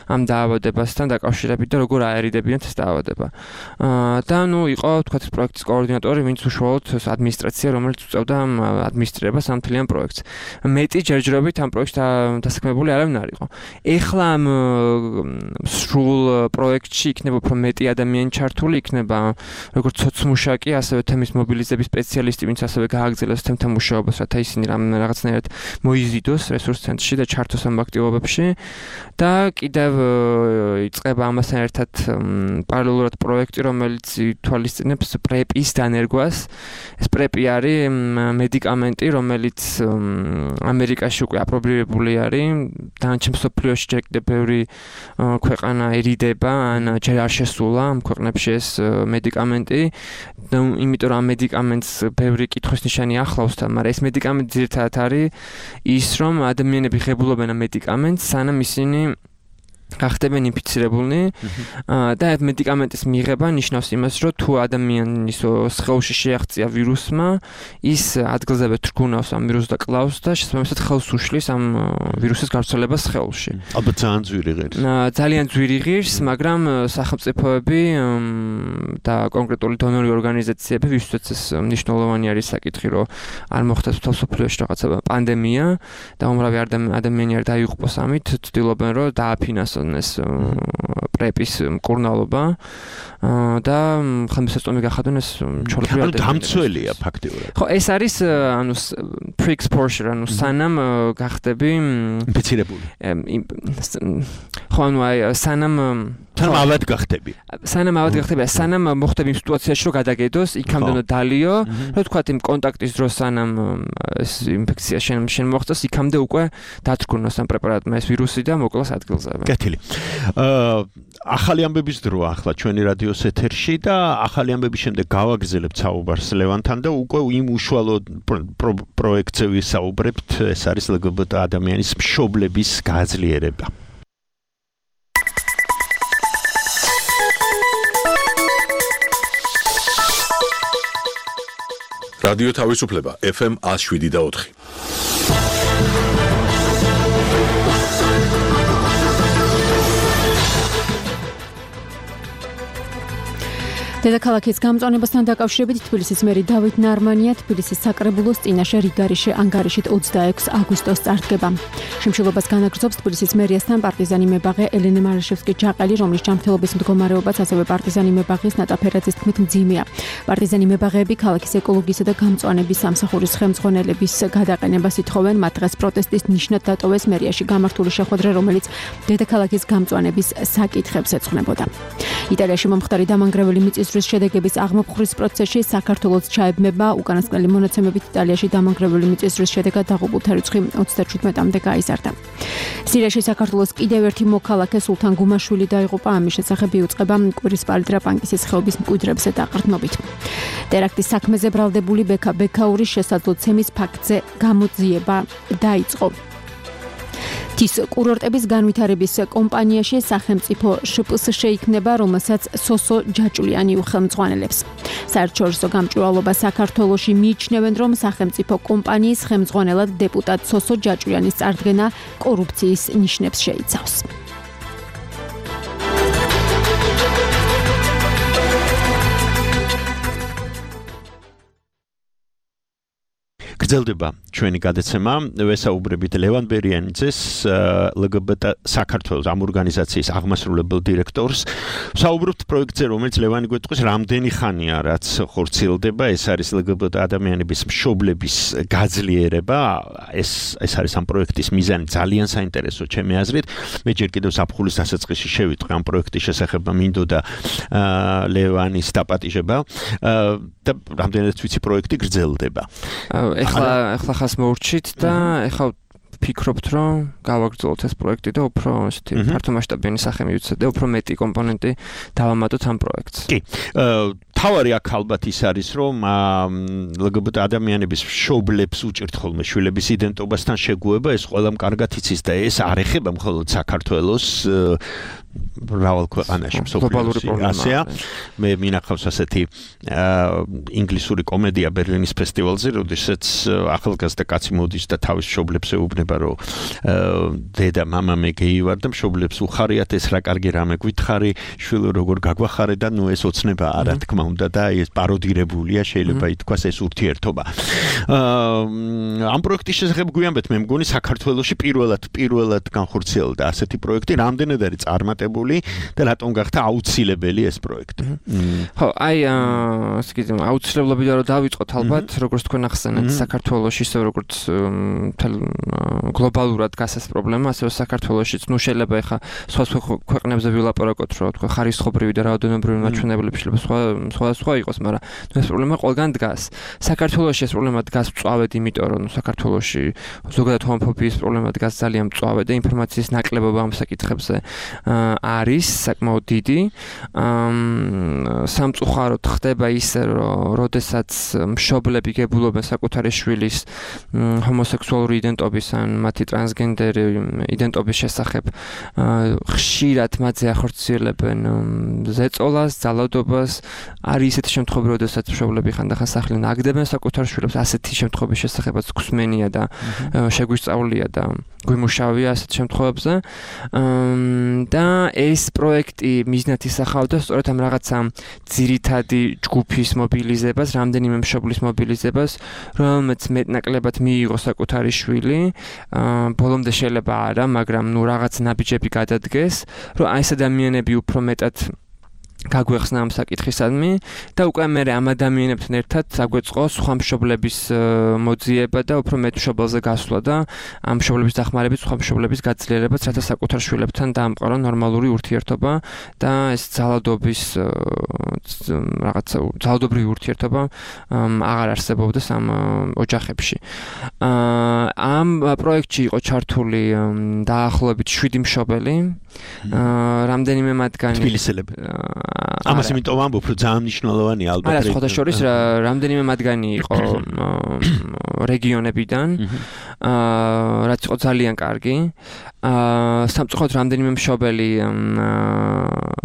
ამ დაავადებასთან დაკავშირებით და როგორ აერიდებიან ეს დაავადება. და ნუ იყო თქვათ პროექტის კოორდინატორი, ვინც უშუალოდ ადმინისტრაცია, რომელიც უწევდა ამ ადმინისტრირებას ამ მთლიან პროექტს. მეტი ჯერჯერობით ამ პროექტში დასაქმებული არავინ არ იყო. ეხლა ამ სრულ პროექტში იქნება უფრო მეტი ადამიანი ჩართული, იქნება როგორც სოცმუშაკი, ასევე თემის მობილიზების სპეციალისტი, ვინც ასევე გააგრძელოს თემთან მუშაობას, რათა ისინი რაღაცნაირად მოიზიდოს რესურს ცენტრში და ჩართოს ამ აქტივობებში და კიდევ იწყება ამასთან ერთად პარალელურად პროექტი, რომელიც ითვალისწინებს პრეპის დანერგვას. ეს პრეპი არის მედიკამენტი, რომელიც ამერიკაში უკვე აპრობირებული არის. დანარჩენ მსოფლიოში ჯერ კიდევ ბევრი ქვეყანა ერიდება, ან ჯერ არ შესულა ამ ქვეყნებში ეს მედიკამენტი. იმიტომ რომ ამ მედიკამენტს ბევრი კითხვის ნიშანი ახლავს თან, მაგრამ ეს მედიკამენტი ძირითადად არის ის, რომ ადამიანები ღებულობენ ამ მედიკამენტს, სანამ ისინი გახდებენ ინფიცირებულნი და მედიკამენტის მიღება ნიშნავს იმას, რომ თუ ადამიანის სხეულში შეაღწია ვირუსმა, ის ადგილზევე თრგუნავს ამ ვირუსს და კლავს და შესაბამისად ხელს უშლის ამ ვირუსის გავრცელებას სხეულში. ალბათ ძალიან ძვირი ღირს. ძალიან ძვირი ღირს, მაგრამ სახელმწიფოები და კონკრეტული დონორი ორგანიზაციები ვისაც ეს მნიშვნელოვანი არის საკითხი, რომ არ მოხდეს მთელ მსოფლიოში რაღაცა პანდემია და უმრავი ადამიანი არ დაიღუპოს ამით, ცდილობენ რომ დააფინანსონ ეს პრეპის მკურნალობა და ხელმისაწვდომი გახადონ ეს ჩოლები ანუ დამცველია ფაქტიურად. ხო, ეს არის ანუ pre-exposure, ანუ სანამ გახდები ინფიცირებული. ხო, ანუ აი სანამ სანამ ავად გახდები. სანამ ავად გახდები, სანამ მოხდები იმ სიტუაციაში, რომ გადაგედოს, იქამდე უნდა დალიო, რომ თქვა იმ კონტაქტის დროს სანამ ეს ინფექცია შენ შენ მოხდეს, იქამდე უკვე დათრგუნოს ამ პრეპარატმა ეს ვირუსი და მოკლას ადგილზევე. კეთილი. აა ახალი ამბების დროა ახლა ჩვენი რადიოს ეთერში და ახალი ამბების შემდეგ გავაგრძელებთ საუბარს ლევანთან და უკვე იმ უშუალო პროექტზე ვისაუბრებთ, ეს არის ელ გი ბი ტი ადამიანის მშობლების გაძლიერება. რადიო თავისუფლება ეფ ემ ნული შვიდ და ოთხი. დედაქალაქის გამწვანებასთან დაკავშირებით თბილისის მერი დავით ნარმანია თბილისის საკრებულოს წინაშე რიგარიში ანგარიშით ოცდაექვსი აგვისტოს წარდგება. Შიმშილობას განაგრძობს თბილისის მერიასთან პარტიზანი მებაღე ელენე მარაშევსკი-ჯაყელი, რომლის ჯანმრთელობის მდგომარეობაც ასევე პარტიზანი მებაღის ნატაფერაძის თქმით მძიმეა. პარტიზანი მებაღეები ქალაქის ეკოლოგიისა და გამწვანების სამსახურის ხელმძღვანელების გადაყენებას ითხოვენ, მათ დღეს პროტესტის ნიშნად დატოვეს მერიაში გამართული შეხვედრა, რომელიც დედაქალაქის გამწვანების საკითხებს ეძღვნებოდა. იტალიაში მომხდარი დამანგრეველი მიწის შედეგების აღმოფხვრის პროცესში საქართველოს ჩაებმება უკანასკნელი მონაცემებით იტალიაში დამანგრეველი მიწისძვრის შედეგად დაღუპულთა რიცხვი ოცდაჩვიდმეტამდე გაიზარდა. სირიაში საქართველოს კიდევ ერთი მოქალაქე სულთან გუმაშვილი დაიღუპა, ამის შესახებ იუწყება კვირისპალი ტრაპანკისის ხეობის მკვიდრებზე დაყრდნობით. ტერაქტის საქმეზე ბრალდებული ბექა ბექაურის შესაძლო ცემის ფაქტზე გამოძიება დაიწყო. თის კურორტების განვითარების კომპანიაში სახელმწიფო შ პ ს შეიქმნება, რომელსაც სოსო ჯაჭვლიანი უხელმძღვანელებს. საერთაშორისო გამჭვირვალობა საქართველოში მიიჩნევენ, რომ სახელმწიფო კომპანიის ხელმძღვანელად დეპუტატ სოსო ჯაჭვლიანის წარდგენა კორუფციის ნიშნებს შეიცავს. გრძელდება ჩვენი გადაცემა. ვესაუბრებით ლევან ბერიანიძეს, ელ გი ბი ტი საქართველოს ამ ორგანიზაციის აღმასრულებელ დირექტორს. ვსაუბრობთ პროექტზე, რომელიც ლევანი გვეტყვის რამდენი ხანია, რაც ხორციელდება. ეს არის ელ გი ბი ტი ადამიანების მშობლების გაძლიერება. ეს ეს არის ამ პროექტის მიზანი, ძალიან საინტერესო ჩემი აზრით. მე ჯერ კიდევ საფხულის დასაწყისში შევიტყვი ამ პროექტის შესახებ, მინდოდა ლევანის დაპატიჟება და რამდენადაც ვიცი პროექტი გრძელდება. ეხლა ეხლა ხას მოურჩით და ეხლა ფიქრობთ, რომ გავაგრძელოთ ეს პროექტი და უფრო ესეთი ფართომასშტაბიანი სახე მივიცეთ და უფრო მეტი კომპონენტი დავამატოთ ამ პროექტს. კი. თავარი აქ ალბათ ის არის, რომ ელ გი ბი ტი ადამიანების მშობლებს უჭირთ ხოლმე შვილების იდენტობასთან შეგუება, ეს ყველამ კარგად იცის და ეს არ ეხება მხოლოდ საქართველოს მრავალ ქვეყანაში მსოფლიოში. ასეა. მე მინახავს ასეთი ინგლისური კომედია ბერლინის ფესტივალზე, როდესაც ახალგაზრდა კაცი მოდის და თავის მშობლებს ეუბნება, რომ დედა, მამა, მე გეი ვარ და მშობლებს უხარიათ, ეს რა კარგი რამე გვითხრი, შვილო როგორ გაგვახარე და ნუ ეს ოცნება არა თქმა უნდა და ეს პაროდირებულია, შეიძლება ითქვას ეს ურთიერთობა. ამ პროექტის შესახებ გვიამბეთ, მე მგონი საქართველოში პირველად პირველად განხორციელდა ასეთი პროექტი, რამდენად არის წარმატებული და რატომ გახდა აუცილებელი ეს პროექტი. ხო, აი, ასე იგი, აუცილებლობიდან რომ დავიწყოთ ალბათ, როგორც თქვენ ახსენეთ, საქართველოში ისე როგორც გლობალურად დგას ეს პრობლემა, ასევე საქართველოშიც, ნუ შეიძლება ეხა სხვა ქვეყნებზე ვილაპარაკოთ, რომ თქვა ხარისხობრივი და რაოდენობრივი მაჩვენებლები შეიძლება სხვა სხვა სხვა იყოს, მაგრამ ნუ ეს პრობლემა ყველგან დგას. საქართველოში ეს პრობლემა დგას მწვავედ, იმიტომ რომ საქართველოში ზოგადად ჰომოფობიის პრობლემა დგას ძალიან მწვავედ და ინფორმაციის ნაკლებობა ამ საკითხებზე არის საკმაოდ დიდი. სამწუხაროდ ხდება ისე, რომ როდესაც მშობლები გებულობენ საკუთარი შვილის ჰომოსექსუალური იდენტობის ან მათი ტრანსგენდერი იდენტობის შესახებ, ხშირად მათზე ახორციელებენ ზეწოლას, ძალადობას. არის ისეთი შემთხვევები, როდესაც მშობლები ხანდახან სახლიდან აგდებენ საკუთარ შვილებს, ასეთი შემთხვევების შესახებაც გვსმენია და შეგვისწავლია და გვიმუშავია ასეთ შემთხვევებზე. და ეს პროექტი მიზნად ისახავდა სწორედ ამ რაღაცა ძირითადი ჯგუფის მობილიზებას, რამდენიმე მშობლის მობილიზებას, რომელმაც მეტნაკლებად მიიღო საკუთარი შვილი, ბოლომდე შეიძლება არა, მაგრამ ნუ რაღაც ნაბიჯები გადადგეს, რომ აი ეს ადამიანები უფრო მეტად გაგვეხსნა ამ საკითხისადმი და უკვე მე ამ ადამიანებთან ერთად აგვეწყო სხვა მშობლების მოძიება და უფრო მეტ მშობელზე გასვლა და ამ მშობლების დახმარებით სხვა მშობლების გაძლიერებაც, რათა საკუთარ შვილებთან დაამყარა ნორმალური ურთიერთობა და ეს ძალადობის რაღაცა ძალადობრივი ურთიერთობა აღარ არსებობდეს ამ ოჯახებში. ამ პროექტში იყო ჩართული დაახლოებით შვიდი მშობელი, რამდენიმე მათგანი თბილისელები. ამას იმიტომ ვამბობ, რომ ძალიან მნიშვნელოვანია ალბათ. არა, სხვა შორის რამდენიმე მათგანი იყო რეგიონებიდან, რაც იყო ძალიან კარგი. სამწუხაროდ რამდენიმე მშობელი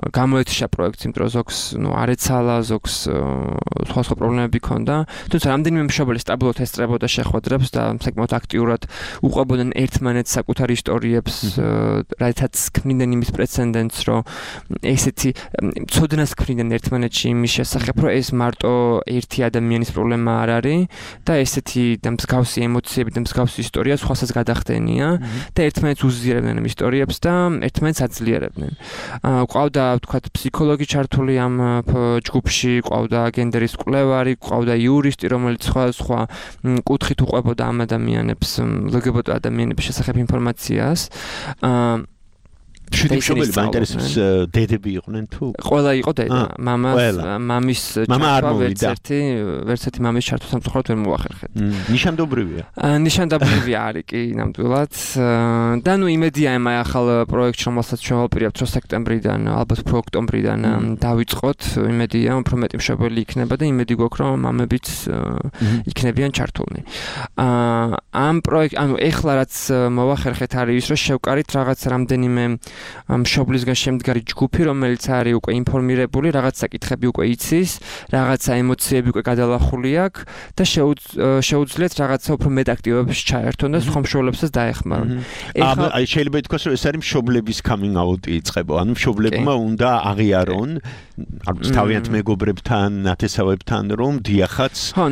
გამოეთიშა პროექტს, იმიტომ რომ ზოგს ნუ არ ეცალა, ზოგს სხვა სხვა პრობლემები ჰქონდა. თუმცა რამდენიმე მშობელი სტაბილურად ესწრებოდა შეხვედრებს და საკმაოდ აქტიურად უყვებოდნენ ერთმანეთს საკუთარ ისტორიებს, რითაც ქმნიდნენ იმის პრეცედენტს, რომ ესეთი ცოდნას ქმნიდნენ ერთმანეთში იმის შესახებ, რომ ეს მარტო ერთი ადამიანის პრობლემა არ არის და ესეთი და მსგავსი ემოციები და მსგავსი ისტორია სხვასაც გადახდენია და ერთმანეთს უზიარებდნენ ამ ისტორიებს და ერთმანეთს აძლიერებდნენ. ყავდა ვთქვათ ფსიქოლოგი ჩართული ამ ჯგუფში, ყავდა გენდერის კვლევარი, ყავდა იურისტი, რომელიც სხვა სხვა კუთხით უყვებოდა ამ ადამიანებს, ლგბტ ადამიანების შესახებ ინფორმაციას. შვიდი მშობელი მაინტერესებს დედები იყვნენ თუ? ყველა იყო დედა, მამა, მამის ჩართვა ვერც ერთი, ვერც ერთი მამის ჩართვა სამწუხაროდ ვერ მოახერხეთ. ნიშანდობრივია. ნიშანდობრივი არის კი ნამდვილად. და ნუ იმედია ამ ახალ პროექტში, რომელსაც ჩვენ ვაპირებთ, რომ სექტემბრიდან, ალბათ უფრო ოქტომბრიდან დავიწყოთ, იმედია, უფრო მეტი მშობელი იქნება და იმედი გვაქვს, რომ მამებიც იქნებიან ჩართულნი. ამ პროექტ, ანუ ეხლა რაც მოახერხეთ არის ის, რომ შევკარით რაღაც რამდენიმე მშობლისგან შემდგარი ჯგუფი, რომელიც არის უკვე ინფორმირებული, რაღაც საკითხები უკვე იცის, რაღაცა ემოციები უკვე გადალახული აქვს და შეუძლიათ რაღაცა უფრო მეტ აქტივობებში ჩაერთონ და სხვა მშობლებსაც დაეხმარონ. ეხლა აი შეიძლება ითქვას, რომ ეს არის მშობლების coming out-ი იწყება, ანუ მშობლებმა უნდა აღიარონ, ანუ თავიანთ მეგობრებთან, ნათესავებთან, რომ დიახაც. ხო,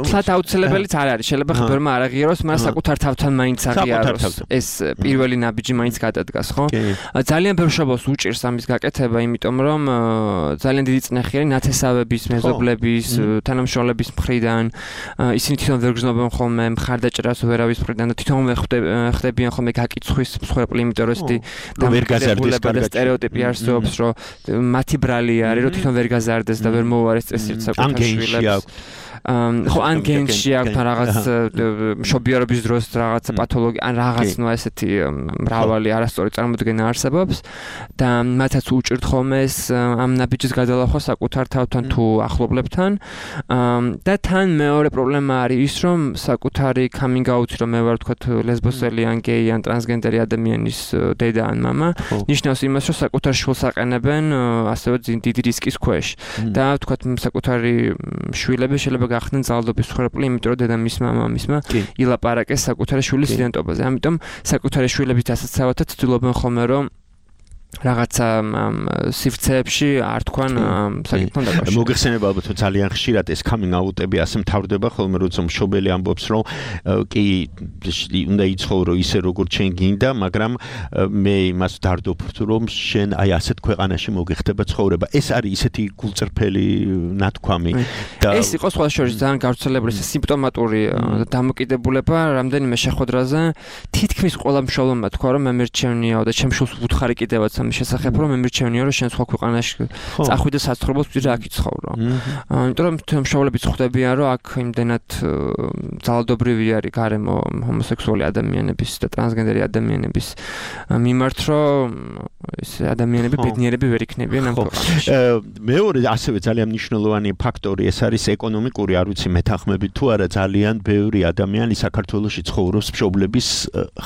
თლათ აუცილებელიც არ არის, შეიძლება ხებერმა არ აღიაროს, მაგრამ საკუთარ თავთან მაინც აღიაროს. ეს პირველი ნაბიჯი მაინც გადადგას. ხო? ძალიან ბევრ მშობელს უჭირს ამის გაკეთება, იმიტომ რომ ძალიან დიდი წნეხი არის ნათესავების, მეზობლების, თანამშრომლების მხრიდან. ისინი თვითონ ვერ გრძნობენ ხოლმე მხარდაჭერას ვერავის მხრიდან და თვითონ ხდებიან ხოლმე გაკიცხვის მსხვერპლი, იმიტომ რომ ესეთი დამოკიდებულება და სტერეოტიპი არსებობს, რომ მათი ბრალი არის, რომ თვითონ ვერ გაზარდეს და ვერ მოუარეს წესრიგს საკუთარ შვილებს. ხო, ან გენში აქვს რაღაც მშობიარობის დროს რაღაცა პათოლოგია, ან რაღაც ნუ ესეთი მრავალი არასწორი წარმოდგენა არსებობს და მათაც უჭირთ ხოლმე ეს ამ ნაბიჯის გადალახვა საკუთარ თავთან თუ ახლობლებთან. და თან მეორე პრობლემა არის ის, რომ საკუთარი coming out-ი, რომ მე ვარ თქვათ ლესბოსელი ან გეი ან ტრანსგენდერი ადამიანის დედა ან მამა, ნიშნავს იმას, რომ საკუთარ შვილს აყენებენ ასევე დიდი რისკის ქვეშ და თქვათ საკუთარი შვილები შეიძლება გახდნენ ძალადობის მსხვერპლი, იმიტომ რომ დედამისმა მამისმა ილაპარაკეს საკუთარი შვილის იდენტობაზე. ამიტომ საკუთარი შვილების დასაცავად ცდილობენ ხოლმე, რომ რაღაცა სივრცეებში არ თქვან საკითხთან დაკავშირებით. მოგეხსენება ალბათ რომ ძალიან ხშირად ეს coming out-ები ასე მთავრდება ხოლმე, როცა მშობელი ამბობს, რომ კი უნდა იცხოვრო ისე როგორც შენ გინდა, მაგრამ მე იმას ვდარდობ, რომ შენ აი ასეთ ქვეყანაში მოგეხდება ცხოვრება. ეს არის ისეთი გულწრფელი ნათქვამი და ეს იყო სხვა შორის ძალიან გავრცელებული სიმპტომატური დამოკიდებულება რამდენიმე შეხვედრაზე. თითქმის თითქმის ყველა მშობლმა თქვა რომ მე მერჩევნიაო და ჩემ შულს ვუთხარი კიდევაც ამის შესახებ რომ მე მერჩევნია რომ შენ სხვა ქვეყანაში წახვიდე საცხოვრებლად ვიდრე აქ იცხოვრო. იმიტომ რომ მშობლებიც ხვდებიან რომ აქ იმდენად ძალადობრივი არის გარემო ჰომოსექსუალი ადამიანების და ტრანსგენდერი ადამიანების მიმართ რომ ეს ადამიანები ბედნიერები ვერ იქნებიან ამ ქვეყანაში. მეორე ასევე ძალიან მნიშვნელოვანი ფაქტორი ეს არის ეკონომიკური, არ ვიცი მეთანხმებით თუ არა ძალიან ბევრი ადამიანი საქართველოში ცხოვრობს მშობლების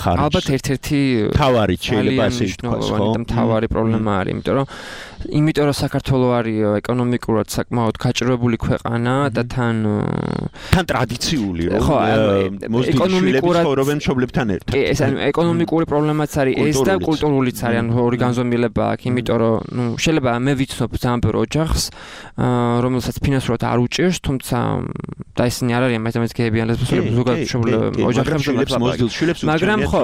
ხარჯზე. ალბათ ერთ-ერთი თავარი შეიძლება ასე ითქვას, ხო? თავარი პრობლემა არის, იმიტომ რომ იმიტომ რომ საქართველო არის ეკონომიკურად საკმაოდ გაჭირვებული ქვეყანა და თან თან ტრადიციული რომ ეკონომიკურად ცხოვრობენ მშობლებთან ერთად. ეს ანუ ეკონომიკური პრობლემაც არის ეს და კულტურულიც არის, ანუ ორი განზომილება აქვს, იმიტომ რომ ნუ შეიძლება მე ვიცნობ ძალიან ბევრ ოჯახს, რომელსაც ფინანსურად არ უჭირს, თუმცა და ისინი არ არიან მაინც გეები ან ლესბოსები, ზოგადად ოჯახებში მოზდილშვილებს მაგრამ ხო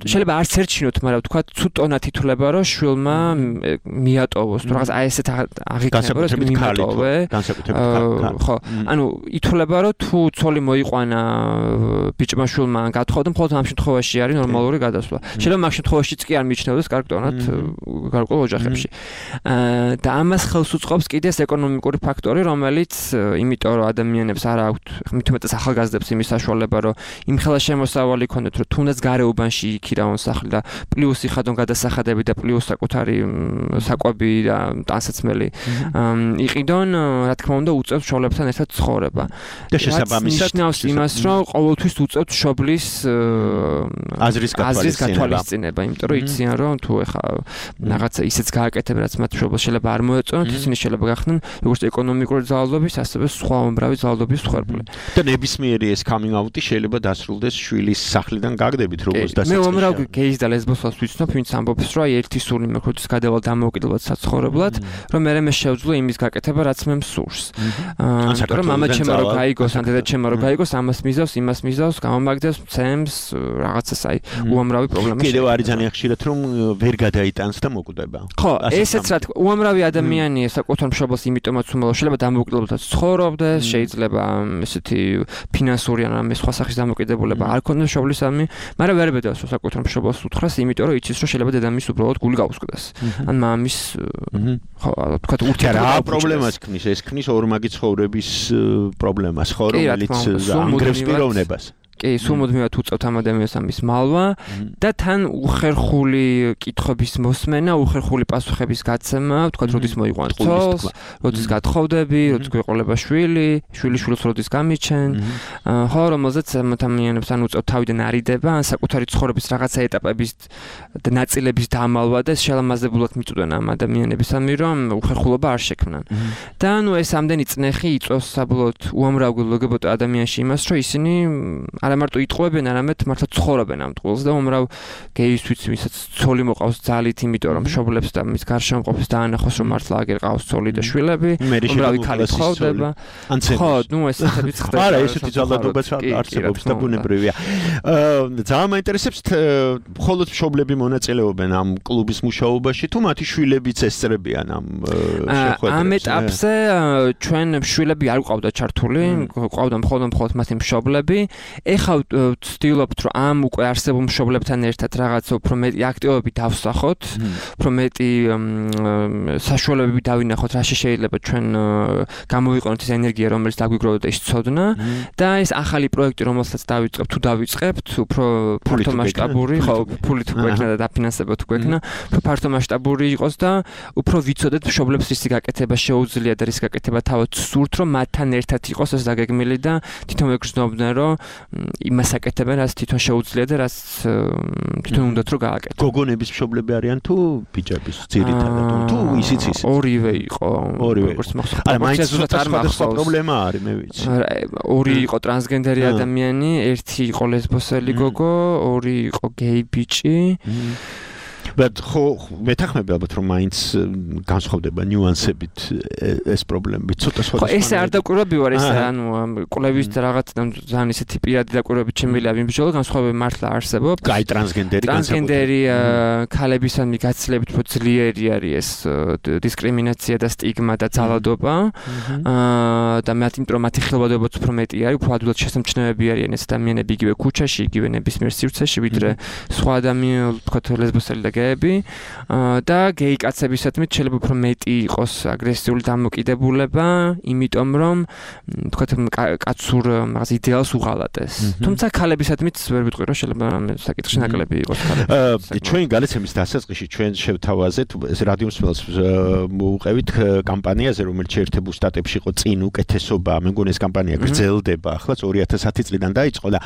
შეიძლება არც ერჩინოთ, მაგრამ თქვა ცუდ ტონად ითვლება რომ შვილმა მიატოვოს, თუ რაღაც აი ესეთ აღიქნება რომ მიატოვე. ხო, ანუ ითვლება რომ თუ ცოლი მოიყვანა ბიჭმა შვილმა გათხოვდა, მხოლოდ ამ შემთხვევაში არის ნორმალური გადასვლა. შეიძლება მაგ შემთხვევაშიც კი არ მიჩნევდეს კარგ ტონად გარკვეულ ოჯახებში. და ამას ხელს უწყობს კიდე ეს ეკონომიკური ფაქტორი, რომელიც იმიტომ რომ ადამიანებს არ აქვთ, მით უმეტეს ახალგაზრდებს იმის საშუალება, რომ იმხელა შემოსავალი ქონდეთ, რომ თუნდაც გარეუბანში იქირავონ სახლი და პლუს იხადონ გადასახადები და პლუს საკუთარი საკვები და ტანსაცმელი იყიდონ, რა თქმა უნდა, უწევთ მშობლებთან ერთად ცხოვრება. და შესაბამისად ნიშნავს იმას, რომ ყოველთვის უწევთ მშობლის აზრის გათვალისწინება, იმიტომ რომ იციან, რომ თუ ეხა რაღაცა ისეც გააკეთებენ, რაც მათ მშობელს შეიძლება არ მოეწონათ, ისინი შეიძლება გახდნენ როგორც ეკონომიკური ძალადობის, ასევე სხვა უამრავი ძალადობის მსხვერპლი. და ნებისმიერი ეს coming out-ი შეიძლება დასრულდეს შვილის სახლიდან გაგდებით, როგორც დასაწყისში. მე უამრავ გეის და ლესბოსებს ვიცნობ, ვინც ამბობს, რომ აი ერთი სული მე ხუთის გადავალ დამოუკიდებლად საცხოვრებლად, რომ მე მე შევძლო იმის გაკეთება, რაც მე მსურს. ანუ რომ მამა ჩემო რო გაიგოს, ან დედა ჩემო რო გაიგოს, ამას მიზავს, იმას მიზავს, გამომაგდებს, ცემს, რაღაცას აი უამრავი პრობლემა. კიდევ არის ძალიან ხშირად რომ ვერ გადაიტანს და მოკვდება. ხო, ესეც რა თქმა უნდა, უამრავი ადამიანია საკუთარ მშობელს იმიტომაც უმალავს, შეიძლება დამოუკიდებლად ცხოვრობდეს, შეიძლება ესეთი ფინანსური ან ამ სხვა სახის დამოკიდებულება არ ქონდეს მშობლისადმი, მაგრამ ვერ ბედავს საკუთარ მშობელს უთხრას, იმიტომ რომ იცის რომ შეიძლება დედამისს უბრალოდ გული გაუსკდეს. ან მამის ხო, თქვა ურთიერთობა რა პრობლემას ქმნის? ეს ქმნის ორმაგი ცხოვრების პრობლემას, ხო, რომელიც ანგრევს პიროვნებას. კი, სულ მუდმივად უწევთ ამ ადამიანს ამის მალვა და თან უხერხული კითხვების მოსმენა, უხერხული პასუხების გაცემა, თქვა როდის მოიყვან ცოლს, როდის გათხოვდები, როდის გვეყოლება შვილი, შვილი შვილს როდის გამიჩენ, ხო, რომელზეც ადამიანებს ან უწევთ თავიდან არიდება, ან საკუთარი ცხოვრების რაღაცა ეტაპების და ნაწილების დამალვა და შელამაზებულად მიწვდენ ამ ადამიანებისამი, რომ უხერხულობა არ შექმნან. და ნუ ეს ამდენი წნეხი იწვევს საბოლოოდ უამრავ ლგბტ ადამიანში იმას, რომ ისინი არა მარტო იტყუებენ, არამედ მართლა ცხოვრობენ ამ ტყუილს და უმრავ გეისთვის, ვისაც ცოლი მოყავს ძალით, იმიტომ რომ მშობლებს და მის გარშემო მყოფს დაანახოს, რომ მართლა აგერ ყავს ცოლი და შვილები, უმრავი ქალი ცხოვრდება. ხო, ნუ ეს ესეთიც ხდება. არა, ესეთი ძალადობაც არსებობს და ბუნებრივია. ძალიან მაინტერესებს მხოლოდ მშობლები მონაწილეობენ ამ კლუბის მუშაობაში, თუ მათი შვილებიც ესწრებიან ამ შეხვედრებს. ამ ეტაპზე ჩვენ შვილები არ გვყავდა ჩართული, გვყავდა მხოლოდ მხოლოდ მათი მშობლები. ეხლა ვცდილობთ, რომ ამ უკვე არსებულ მშობლებთან ერთად რაღაც უფრო მეტი აქტივობები დავსახოთ, უფრო მეტი საშუალებები დავინახოთ, რაში შეიძლება ჩვენ გამოვიყენოთ ეს ენერგია, რომელიც დაგვიგროვდა და ის ცოდნა და ეს ახალი პროექტი, რომელსაც დავიწყებთ, თუ დავიწყებთ, უფრო ფართო მასშტაბური, ხო, ფულით გვექნა და დაფინანსება თუ გვექნა, უფრო ფართო მასშტაბური იყოს და უფრო ვიცოდეთ მშობლებს რისი გაკეთება შეუძლია და რის გაკეთება თავად სურთ, რომ მათთან ერთად იყოს ეს დაგეგმილი და თვითონ ეგრძნობდნენ, რომ იმას აკეთებენ, რაც თვითონ შეუძლია და რაც თვითონ უნდათ რომ გააკეთო. გოგონების მშობლები არიან თუ ბიჭების ძირითადად თუ ისიც ისიც? ორივე იყო. როგორც მახსოვს. არა, მაინც არ მახსოვს. პრობლემა არის, მე ვიცი. ორი იყო ტრანსგენდერი ადამიანი, ერთი იყო ლესბოსელი გოგო, ორი იყო გეი ბიჭი. But ხო მეთანხმები ალბათ რომ მაინც განსხვავდება ნიუანსებით ეს პრობლემები. ცოტა სხვადასხვა. ხო, ეს არ დაკვირვები ვარ, ეს ანუ კვლევის რაღაც ძალიან ისეთი პირადი დაკვირვებით შემიძლია ვიმსჯელო, განსხვავებები მართლა არსებობს. კაი ტრანსგენდერი ტრანსგენდერი ქალებისადმი გაცილებით უფრო ძლიერი არის ეს დისკრიმინაცია და სტიგმა და ძალადობა. აა და მათ იმიტომ მათი ხილვადობაც უფრო მეტი არის, უფრო ადვილად შესამჩნევები არიან ეს ადამიანები იგივე ქუჩაში, იგივე ნებისმიერ სივრცეში, ვიდრე სხვა ადამიანები, თქვათ ლესბოსელი და გეები. და გეი კაცებისადმი შეიძლება უფრო მეტი იყოს აგრესიული დამოკიდებულება, იმიტომ რომ თქვათ კაცურ რაღაც იდეალს უღალატეს. თუმცა ქალებისადმიც ვერ ვიტყვი რომ შეიძლება საკითხი ნაკლები იყოს ქალებს. ჩვენ გალიცემის დასაწყისში ჩვენ შევთავაზეთ ეს რადიო მსმენელს მოუყევით კამპანიაზე, რომელიც შეერთებულ შტატებში იყო წინ უკეთესობა, მე მგონი ეს კამპანია გრძელდება, ახლა ორი ათას ათი წლიდან დაიწყო და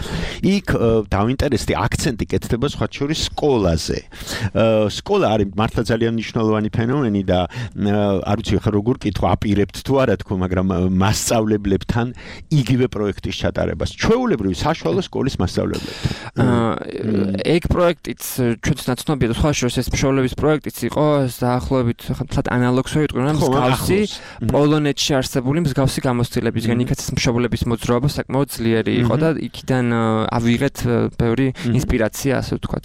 იქ დავინტერესდი აქცენტი კეთდება სხვა შორის სკოლაზე. სკოლა არის მართლა ძალიან მნიშვნელოვანი ფენომენი და არ ვიცი ხა როგორ კითხვა აპირებთ თუ არა თქო, მაგრამ მასწავლებლებთან იგივე პროექტის ჩატარებას, ჩვეულებრივი საშუალო სკოლის მასწავლებლებთან. ეგ პროექტიც ჩვენც ნაცნობია და სხვა შორის ეს მშობლების პროექტიც იყო დაახლოებით ხათ ანალოგს ვერ ვიტყვი, მაგრამ მსგავსი პოლონეთში არსებული მსგავსი გამოცდილებისგან იქაც ეს მშობლების მოძრაობა საკმაოდ ძლიერი იყო და იქიდან ავიღეთ ბევრი ინსპირაცია, ასე ვთქვათ.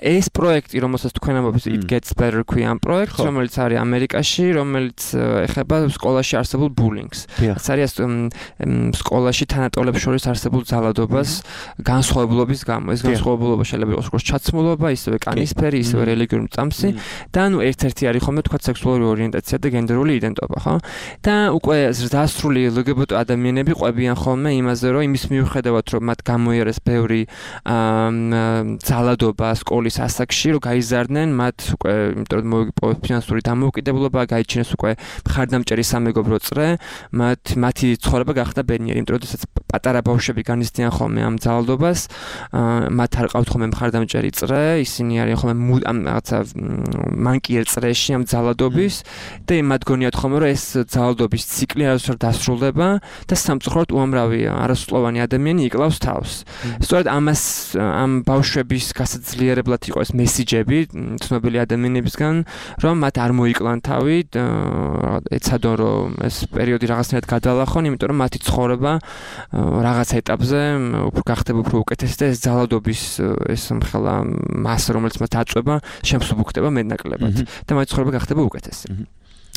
ეს პროექტი, რომელსაც თქვენ ამბობთ, It Gets Better ქვია ამ პროექტს, რომელიც არის ამერიკაში, რომელიც ეხება სკოლაში არსებულ ბულინგს. ეს არის სკოლაში თანატოლებს შორის არსებულ ძალადობას განსხვავებულობის გამო. ეს განსხვავებულობა შეიძლება იყოს როგორც ჩაცმულობა, ისევე კანისფერი, ისევე რელიგიური მწამსი და ანუ ერთ-ერთი არის ხოლმე თქვათ სექსუალური ორიენტაცია და გენდერული იდენტობა, ხო? და უკვე ზრდასრული ელ გი ბი ტი ადამიანები ყვებიან ხოლმე იმაზე, რომ იმის მიუხედავად, რომ მათ გამოიარეს ბევრი ძალადობა სკოლის ასაკში, რომ გაიზარდნენ, მათ უკვე იმიტომ რომ მოიგო ფინანსური დამოუკიდებლობა, გაიჩინეს უკვე მხარდამჭერი სამეგობრო წრე, მათ მათი ცხოვრება გახდა ბედნიერი, იმიტომ რომ შესაძ პატარა ბავშვები განიცდიან ხოლმე ამ ძალადობას, მათ არ ყავთ ხოლმე მხარდამჭერი წრე, ისინი არიან ხოლმე ამ რაღაცა მანკიერ წრეში ამ ძალადობის და მათ გონიათ ხოლმე რომ ეს ძალადობის ციკლი არასდროს დასრულდება და სამწუხაროდ უამრავი არასრულოვანი ადამიანი იკლავს თავს. სწორედ ამას ამ ბავშვების გასაძლიერებლად იყო ეს მესიჯები ცნობილი ადამიანებისგან, რომ მათ არ მოიკლან თავი, ეცადონ რომ ეს პერიოდი რაღაცნაირად გადალახონ, იმიტომ რომ მათი ცხოვრება რაღაც ეტაპზე უფრო გახდება უფრო უკეთესი და ეს ძალადობის ეს მხელა მასა, რომელიც მათ აწვება, შემსუბუქდება მეტნაკლებად და მათი ცხოვრება გახდება უკეთესი.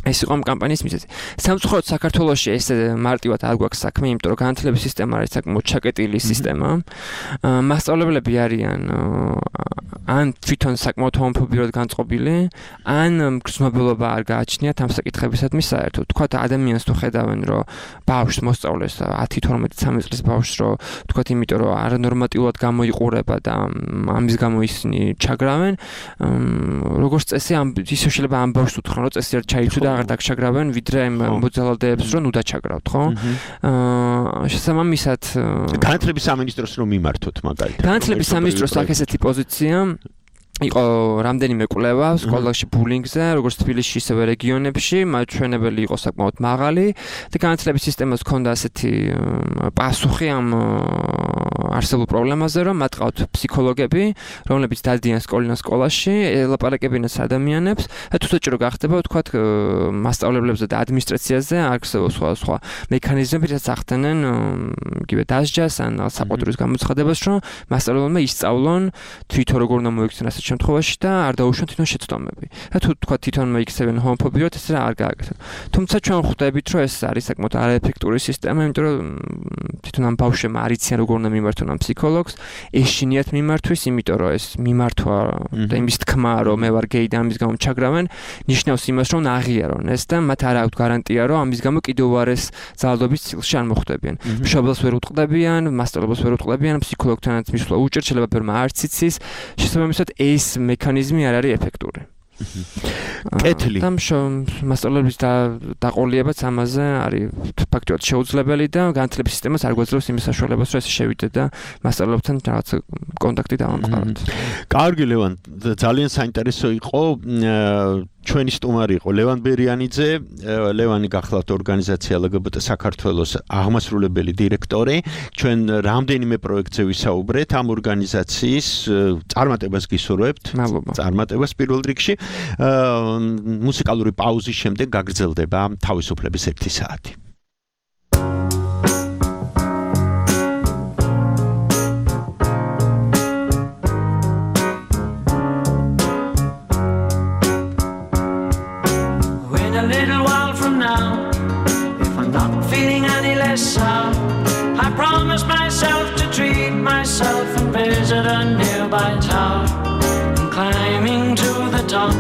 ეს იყო ამ კამპანიის მიზეზი. სამწუხაროდ საქართველოში ეს მარტივად არ გვაქვს საქმე, იმიტომ რომ განათლების სისტემა არის საკმაოდ ჩაკეტილი სისტემა. მასწავლებლები არიან ან თვითონ საკმაოდ ჰომოფობიურად განწყობილი, ან გრძნობილობა არ გააჩნიათ ამ საკითხებისადმი საერთოდ. თქვათ ადამიანს თუ ხედავენ, რომ ბავშვს მოსწავლეს ათი თორმეტი ცხრამეტი წლის ბავშვს, რომ თქვათ იმიტომ რომ არანორმატიულად გამოიყურება და ამის გამო ისინი ჩაგრავენ, როგორც წესი ამ ისე შეიძლება ამ ბავშვს უთხრან, რომ წესი არ ჩაიცვიდა და აღარ დაგჩაგრავენ, ვიდრე ამ მოძალადეებს რომ ნუ დაჩაგრავთ, ხო? აა შესაბამისად განათლების სამინისტროს რომ მიმართოთ მაგალითად. განათლების სამინისტროს აქვს ესეთი პოზიცია. იყო რამდენიმე კვლევა სკოლაში ბულინგზე, როგორც თბილისში, ისევე რეგიონებში, მაჩვენებელი იყო საკმაოდ მაღალი და განათლების სისტემას ჰქონდა ასეთი პასუხი ამ არსებულ პრობლემაზე, რომ მათ ყავთ ფსიქოლოგები, რომლებიც დადიან სკოლიდან სკოლაში, ელაპარაკებინათ ადამიანებს და თუ საჭირო გახდება, ვთქვათ, მასწავლებლებზე და ადმინისტრაციაზე არსებობს სხვა სხვა მექანიზმები, რაც ახდენენ იგივე დასჯას ან საყოველთაოდ გამოცხადებას, რომ მასწავლებელმა ისწავლონ თვითონ როგორ უნდა მოიქცნენ ასეთ შემთხვევაში და არ დაუშვან თვითონ შეცდომები. და თუ თქვა თვითონ მოიქცევენ ჰომოფობიურად, ეს რა არ გააკეთებთ. თუმცა ჩვენ ხვდებით, რომ ეს არის საკმაოდ არაეფექტური სისტემა, იმიტომ რომ თვითონ ამ ბავშვებმა არ იციან როგორ უნდა მიმართონ ამ ფსიქოლოგს, ეშინიათ მიმართვის, იმიტომ რომ ეს მიმართვა და იმის თქმა, რომ მე ვარ გეი და ამის გამო ჩაგრავენ, ნიშნავს იმას, რომ აღიარონ ეს და მათ არ აქვთ გარანტია, რომ ამის გამო კიდევ უარეს ძალადობის ციკლში არ მოხვდებიან. მშობელს ვერ უტყდებიან, მასწავლებელს ვერ უტყდებიან, ფსიქოლოგთანაც მისვლა უჭირთ, შეიძლება ბევრმა არც იცის, შესაბამისად ეს მექანიზმი არ არის ეფექტური. კეთილი. და მასწავლებლების დაყოლიებაც ამაზე არის ფაქტობრივად შეუძლებელი და განათლების სისტემას არ გვაძლევს იმის საშუალებას, რომ ეს შევიდეთ და მასწავლებლებთან რაღაც კონტაქტი დავამყაროთ. კარგი, ლევან, ძალიან საინტერესო იყო ჩვენი სტუმარი იყო ლევან ბერიანიძე, ლევანი გახლავთ ორგანიზაცია ელ გი ბი ტე საქართველოს აღმასრულებელი დირექტორი. ჩვენ რამდენიმე პროექტზე ვისაუბრეთ ამ ორგანიზაციის წარმატებას გისურვებთ. წარმატებას პირველ რიგში. მუსიკალური პაუზის შემდეგ გაგრძელდება თავისუფლების ერთი საათი. I promised myself to treat myself and visit a nearby tower. And climbing to the top,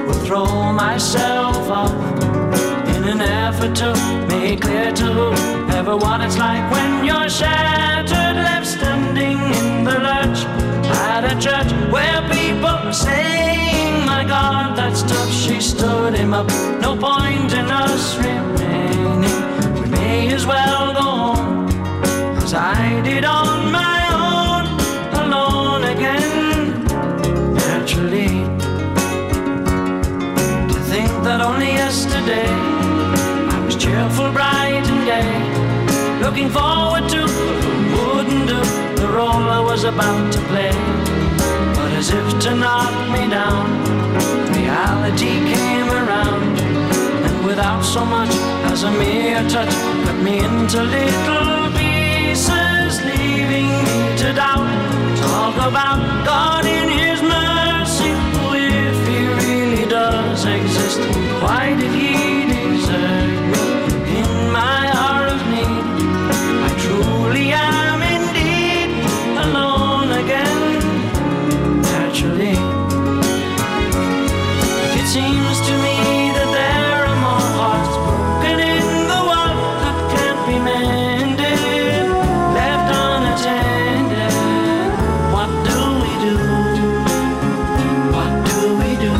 will throw myself off in an effort to make clear to whoever what it's like when you're shattered, left standing in the lurch at a church where people are saying, "My God, that's tough." She stood him up. No point in us remaining. We may as well go home. I did on my own, alone again. Naturally, to think that only yesterday I was cheerful, bright and gay, looking forward to who wouldn't do the role I was about to play. But as if to knock me down, reality came around, and without so much as a mere touch, cut me into little pieces, leaving me to doubt. Talk about God in His mercy, if He really does exist. Why did He desert me in my hour of need? I truly am indeed alone again. Naturally, it seems to me that there are more hearts broken in the world that can't be mended, left unattended. What do we do? What do we do?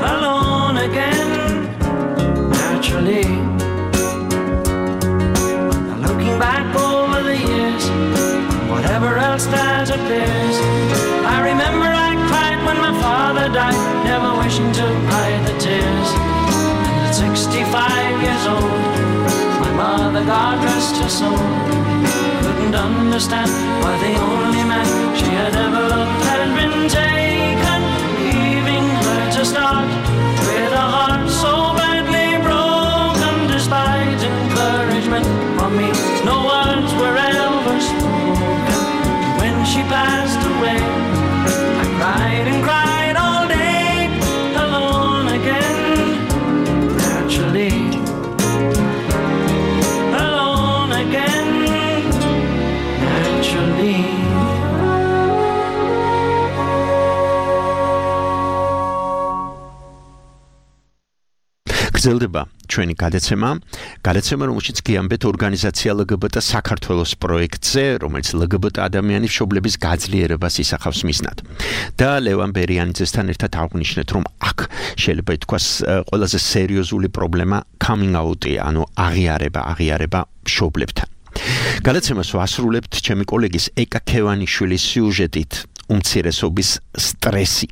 Alone again, naturally. Now looking back over the years, whatever else that appears, I remember I cried when my father died, never wishing to hide the tears. And at sixty-five years old, my mother, God rest her soul, couldn't understand why the only man she had ever loved had been taken, leaving her to start with a heart so badly broken. Despite encouragement from me, no words were ever spoken. When she passed away, I cried and cried all day, alone again. Naturally, alone again. Naturally. გრძელდება ჩვენი გადაცემა, გადაცემა რომელშიც გიამბეთ ორგანიზაცია ელ გი ბი ტე საქართველოს პროექტზე, რომელიც ელ გი ბი ტე ადამიანის მშობლების გაძლიერებას ისახავს მიზნად. და ლევან ბერიანიძესთან ერთად აღვნიშნეთ, რომ აქ შეიძლება ითქვას ყველაზე სერიოზული პრობლემა coming out-ია, ანუ აღიარება, აღიარება მშობლებთან. გადაცემას ვასრულებთ ჩემი კოლეგის ეკა ქევანიშვილის სიუჟეტით უმცირესობის სტრესი,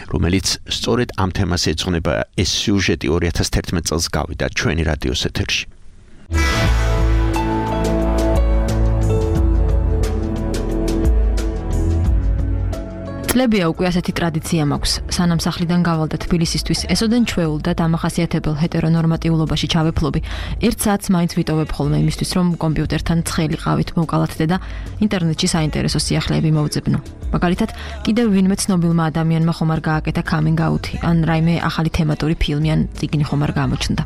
რომელიც სწორედ ამ თემას ეძღვნება. ეს სიუჟეტი ორი ათას თერთმეტ წელს გავიდა ჩვენი რადიოს ეთერში. წლებია უკვე ასეთი ტრადიცია მაქვს. სანამ სახლიდან გავალდა თბილისისთვის, ესოდენ ჩვეულ და დამახასიათებელ ჰეტერონორმატიულობაში ჩავეფლობი. ერთ საათს მაინც ვიტოვებ ხოლმე იმისთვის, რომ კომპიუტერთან ცხელი ყავით მოვკალათდე და ინტერნეტში საინტერესო სიახლეები მოვძებნო. მაგალითად, კიდევ ვინმე ცნობილმა ადამიანმა ხომ არ გააკეთა coming out-ი, ან რაიმე ახალი თემატური ფილმი ან წიგნი ხომ არ გამოჩნდა.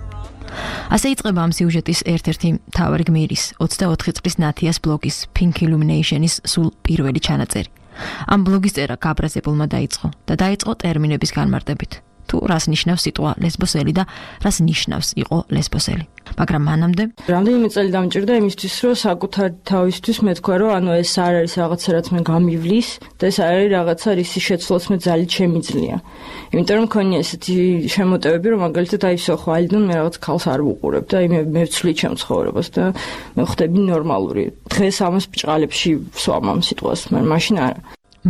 ასე იწყება ამ სიუჟეტის ერთ-ერთი მთავარი გმირის ოცდაოთხი წლის ნათიას ბლოგის Pink Illumination-ის სულ პირველი ჩანაწერი. ამ ბლოგის წერა გაბრაზებულმა დაიწყო და დაიწყო ტერმინების განმარტებით. თუ რას ნიშნავს სიტყვა ლესბოსელი და რას ნიშნავს იყო ლესბოსელი. მაგრამ მანამდე რამდენიმე წელი დამჭირდა იმისთვის, რომ საკუთარ თავისთვის მეთქვა, რომ ანუ ეს არ არის რაღაცა, რაც მე გამივლის და ეს არ არის რაღაცა, რისი შეცვლაც მე ძალით შემიძლია. იმიტომ რომ მქონია ესეთი შემოტევები, რომ მაგალითად აი ისო ხვალიდან მე რაღაც ქალს არ ვუყურებ და აი მე მე ვცვლი ჩემ ცხოვრებას და მე ხდები ნორმალური. დღეს ამას ბჭყალებში ვსვამ ამ სიტყვას, მაგრამ მაშინ არა.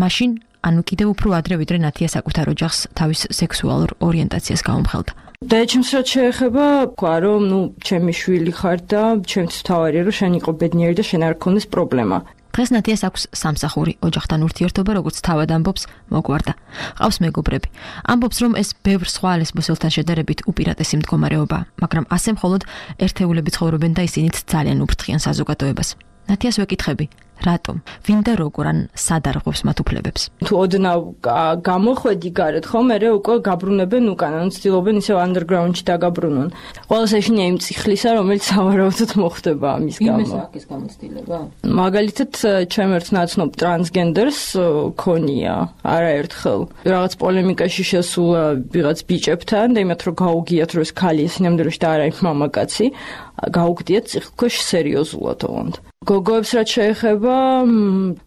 მაშინ ანუ კიდევ უფრო ადრე ვიდრე ნათია საკუთარ ოჯახს თავის სექსუალურ ორიენტაციას გაუმხელდა. და ჩემს რაც შეეხება, თქვა რომ ნუ ჩემი შვილი ხარ და ჩემთვის თავარია რომ შენ იყო ბედნიერი და შენ არ გქონდეს პრობლემა. დღეს ნათიას აქვს სამსახური, ოჯახთან ურთიერთობა, როგორც თავად ამბობს, მოგვარდა. ყავს მეგობრები. ამბობს, რომ ეს ბევრ სხვა ლესბოსელთან შედარებით უპირატესი მდგომარეობაა, მაგრამ ასე მხოლოდ ერთეულები ცხოვრობენ და ისინიც ძალიან უფრთხიან საზოგადოებას. ნათიას ვეკითხები, რატომ? ვინ და როგორ ან სად არღვევს მათ უფლებებს? თუ ოდნავ გამოხვედი გარეთ, ხო, მე უკვე გაბრუნებენ უკან, ან ცდილობენ ისევ underground-ში დაგაბრუნონ. ყველას ეშინია იმ წიხლისა, რომელიც სავარაუდოდ მოხდება ამის გამო. იმის აქის გამოცდილება? მაგალითად, ჩემ ერთ ნაცნობ ტრანსგენდერს ქონია არაერთხელ რაღაც პოლემიკაში შესულა ვიღაც ბიჭებთან და იმათ რომ გაუგიათ რომ ეს ქალი ეს ნამდვილად და არა ის მამაკაცი, გაუგდიათ წიხლქვეშ სერიოზულად ოღონდ. გოგოებს რაც შეეხება,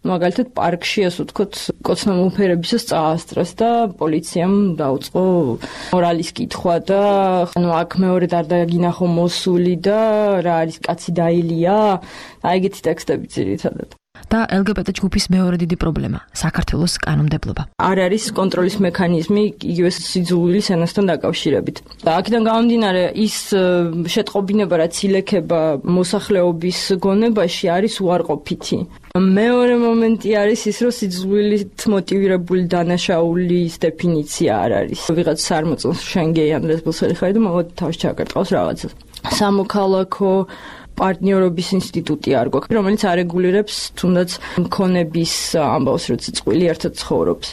მაგალითად პარკში ასე ვთქვათ, კოცნამოფერებისას წაასწრეს და პოლიციამ დაუწყო მორალის კითხვა და ანუ აქ მეორედ არ დაგინახო მოსული და რა არის კაცი დაილია, აი ეგეთი ტექსტები ძირითადად. და ელ გი ბე ტე ჯგუფის მეორე დიდი პრობლემა საქართველოს კანონმდებლობა. არ არის კონტროლის მექანიზმი იგივე სიძულვილის ენასთან დაკავშირებით. და აქედან გამომდინარე ის შეტყობინება რაც ილექება მოსახლეობის გონებაში არის უარყოფითი. მეორე მომენტი არის ის რომ სიძულვილით მოტივირებული დანაშაულის დეფინიცია არ არის. ვიღაც არ მოწონს შენ გეი ან ლესბოსელი ხარ და მოგod თავში ჩაკარტყავს რაღაცას. სამოქალაქო პარტნიორობის ინსტიტუტი არ გვაქვს, რომელიც არეგულირებს თუნდაც მქონების ამბავს, რომ წყვილი ერთად ცხოვრობს.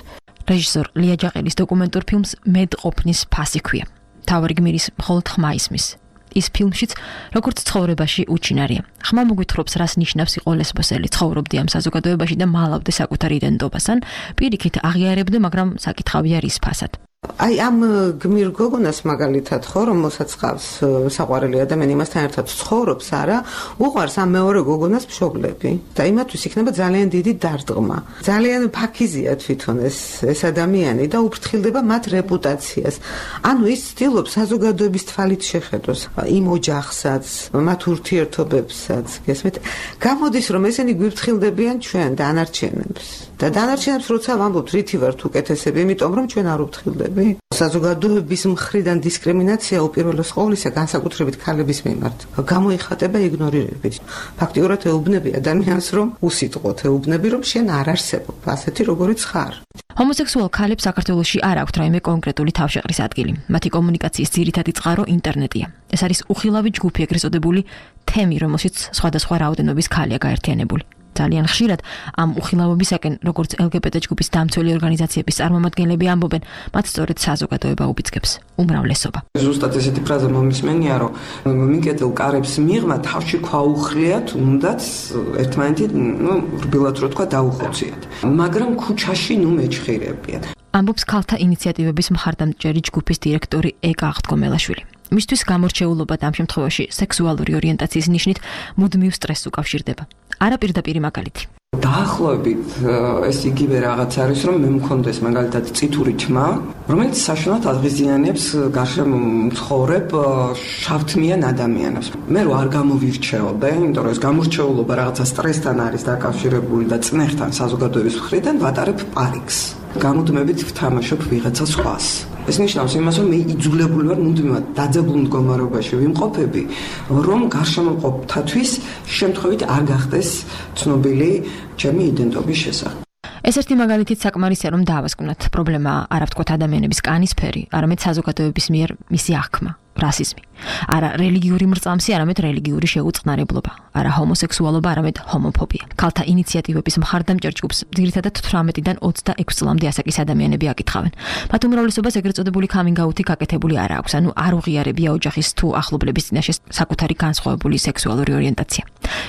რეჟისორ ლია ჯაყელის დოკუმენტურ ფილმს მედყოფნის ფასი ქვია. თავარი გმირის მხოლოდ ხმა ისმის. ის ფილმშიც როგორც ცხოვრებაში უჩინარია. ხმა მოგვითხრობს, რას ნიშნავს იყო ლესბოსელი, ცხოვრობდი ამ საზოგადოებაში და მალავდე საკუთარ იდენტობას, ან პირიქით აღიარებდე, მაგრამ საკითხავია რის ფასად. აი ამ გმირ გოგონას მაგალითად ხო რომელსაც ყავს საყვარელი ადამიანი იმასთან ერთად ცხოვრობს არა უყვარს ამ მეორე გოგონას მშობლები და იმათთვის იქნება ძალიან დიდი დარდღმა ძალიან ფაქიზია თვითონ ეს ეს ადამიანი და უფრთხილდება მათ რეპუტაციას ანუ ის ცდილობს საზოგადოების თვალით შეხედოს იმ ოჯახსაც მათ ურთიერთობებსაც გესმით გამოდის რომ ესენი გვიფრთხილდებიან ჩვენ დანარჩენებს და დანარჩენებს როცა ვამბობთ რითი ვართ უკეთესები იმიტომ რომ ჩვენ არ უფრთხილდებით საზოგადოების მხრიდან დისკრიმინაცია უპირველეს ყოვლისა განსაკუთრებით ქალების მიმართ გამოიხატება იგნორირებით. ფაქტიურად ეუბნები ადამიანს რომ უსიტყვოდ ეუბნები რომ შენ არ არსებობ ასეთი როგორიც ხარ. ჰომოსექსუალ ქალებს საქართველოში არ აქვთ რაიმე კონკრეტული თავშეყრის ადგილი. მათი კომუნიკაციის ძირითადი წყარო ინტერნეტია. ეს არის უხილავი ჯგუფი ეგრეთ წოდებული თემი, რომელშიც სხვადასხვა რაოდენობის ქალია გაერთიანებული. ძალიან ხშირად ამ უხილავობისაკენ, როგორც ელ გი ბე ტე ჯგუფის დამცველი ორგანიზაციების წარმომადგენლები ამბობენ, მათ სწორედ საზოგადოება უბიძგებს უმრავლესობა. ზუსტად ესეთი ფრაზა მომისმენია, რომ მიკეტელ კარებს მიღმა თავში ქვაუხრია, თუნდაც ერთმანეთი, ნუ რბილად რო თქვა დაუხოციათ. მაგრამ ქუჩაში ნუ მეჩხირებიან. ამბობს ქალთა ინიციატივების მხარდამჭერი ჯგუფის დირექტორი ეკა აღდგომელაშვილი. მისთვის გამორჩეულობა და ამ შემთხვევაში სექსუალური ორიენტაციის ნიშნით მუდმივ სტრესს უკავშირდება. არა პირდაპირი მაგალითი. დაახლოებით ეს იგივე რაღაც არის, რომ მე მქონდეს მაგალითად წითური თმა, რომელიც საშინელად აღიზიანებს გარშემო მცხოვრებ შავთმიან ადამიანებს. მე რო არ გამოვირჩეოდე, იმიტომ რომ ეს გამორჩეულობა რაღაცა სტრესთან არის დაკავშირებული და წნეხთან საზოგადოების მხრიდან ვატარებ პარიკს. გამუდმებით ვთამაშობ ვიღაცა სხვას. ეს ნიშნავს იმას, რომ მე იძულებული ვარ მუდმივად დაძაბულ მდგომარეობაში ვიმყოფები, რომ გარშემო მყოფთათვის შემთხვევით არ გახდეს ცნობილი ჩემი იდენტობის შესახებ. ეს ერთი მაგალითით საკმარისია, რომ დაავასკვნათ პრობლემა არა ვთქვათ ადამიანების კანის ფერი, არამედ საზოგადოების მიერ მისი აღქმა. რასიზმი. არა რელიგიური მრწამსი, არამედ რელიგიური შეუწყნარებლობა. არა ჰომოსექსუალობა, არამედ ჰომოფობია. ქალთა ინიციატივების მხარდამჭერ ჯგუფს ძირითადად თვრამეტიდან ოცდაექვსი წლამდე ასაკის ადამიანები აკითხავენ. მათ უმრავლესობას ეგრეთ წოდებული coming out-ი გაკეთებული არ აქვს, ანუ არ უღიარებია ოჯახის თუ ახლობლების წინაშე საკუთარი განსხვავებული სექსუალური ორიენტაცია.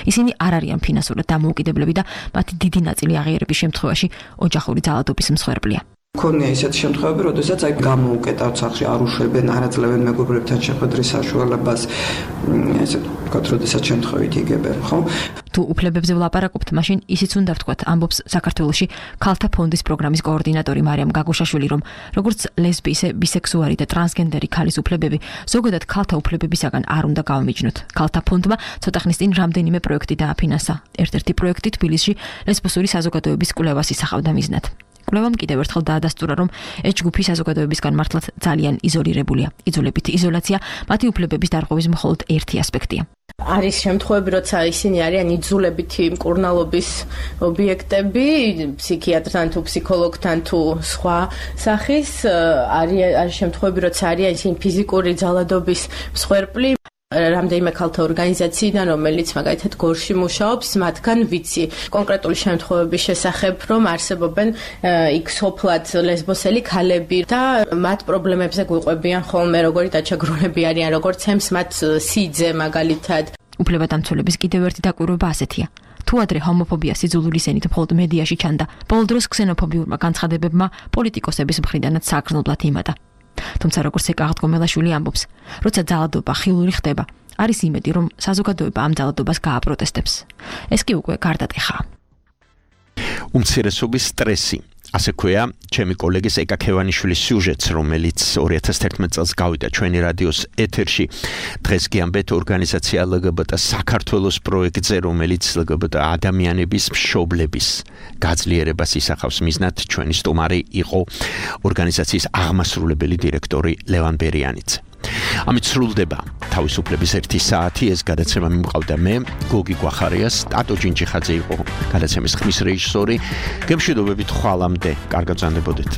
ისინი არ არიან ფინანსურად დამოუკიდებლები და მათი დიდი ნაწილი აღიარების შემთხვევაში ოჯახური ძალადობის მსხვერპლია. ქონია ისეთი შემთხვევები, როდესაც აი გამოუკეტავთ სახში არ უშვებენ, არ აძლევენ მეგობრებთან შეხვედრის საშუალებას, ესე ვთქვათ, როდესაც შემთხვევით იგებენ, ხო? თუ უფლებებზე ვლაპარაკობთ, მაშინ ისიც უნდა ვთქვათ, ამბობს საქართველოში ქალთა ფონდის პროგრამის კოორდინატორი მარიამ გაგუშაშვილი, რომ როგორც ლესბი, ისე ბისექსუალი და ტრანსგენდერი ქალის უფლებები ზოგადად ქალთა უფლებებისაგან არ უნდა გავმიჯნოთ. ქალთა ფონდმა ცოტა ხნის წინ რამდენიმე პროექტი დააფინანსა. ერთ-ერთი პროექტი თბილისში ლესბოსური საზოგადოების კვლევას ისახავდა მიზნად. კვლევამ კიდევ ერთხელ დაადასტურა, რომ ეს ჯგუფი საზოგადოებისგან მართლაც ძალიან იზოლირებულია. იძულებითი იზოლაცია მათი უფლებების დარღვევის მხოლოდ ერთი ასპექტია. არის შემთხვევები, როცა ისინი არიან იძულებითი მკურნალობის ობიექტები, ფსიქიატრთან თუ ფსიქოლოგთან თუ სხვა სახის, არის შემთხვევები, როცა არიან ისინი ფიზიკური ძალადობის მსხვერპლი. რამდენიმე ქალთა ორგანიზაციიდან, რომელიც მაგალითად გორში მუშაობს, მათგან ვიცი კონკრეტული შემთხვევების შესახებ, რომ არსებობენ იქ სოფლად ლესბოსელი ქალები და მათ პრობლემებზე გვიყვებიან ხოლმე, როგორი დაჩაგრონები არიან, როგორც ემს მათ სიძე მაგალითად. უფლებადამცველების კიდევ ერთი დაკვირვება ასეთია. თუ ადრე ჰომოფობია სიძულვილის ენით მხოლოდ მედიაში ჩანდა, ბოლო დროს ქსენოფობიურმა განცხადებებმა პოლიტიკოსების მხრიდანაც საგრძნობლად იმატა. თუმცა როგორც ეკაღთ გომელაშვილი ამბობს, როცა ძალადობა ხილული ხდება, არის იმედი, რომ საზოგადოება ამ ძალადობას გააპროტესტებს. ეს კი უკვე გარდატეხაა. უმცირესობის სტრესი. ასე ქვია ჩემი კოლეგის ეკა ქევანიშვილის სიუჟეტს, რომელიც ორი ათას თერთმეტ წელს გავიდა ჩვენი რადიოს ეთერში. დღეს კი ამბეთ ორგანიზაცია ელ გი ბი ტი საქართველოს პროექტზე, რომელიც ელ გი ბი ტი ადამიანების მშობლების გაძლიერებას ისახავს. მიზნად ჩვენი სტუმარი იყო ორგანიზაციის აღმასრულებელი დირექტორი ლევან ბერიანიძე. ამით სრულდება თავისუფლების ერთი საათი. ეს გადაცემა მიმყავდა მე, გოგი გვახარიას, ტატო ჯინჯიხაძე იყო გადაცემის ხმის რეჟისორი. გემშვიდობებით ხვალამდე, კარგად ბრძანდებოდეთ.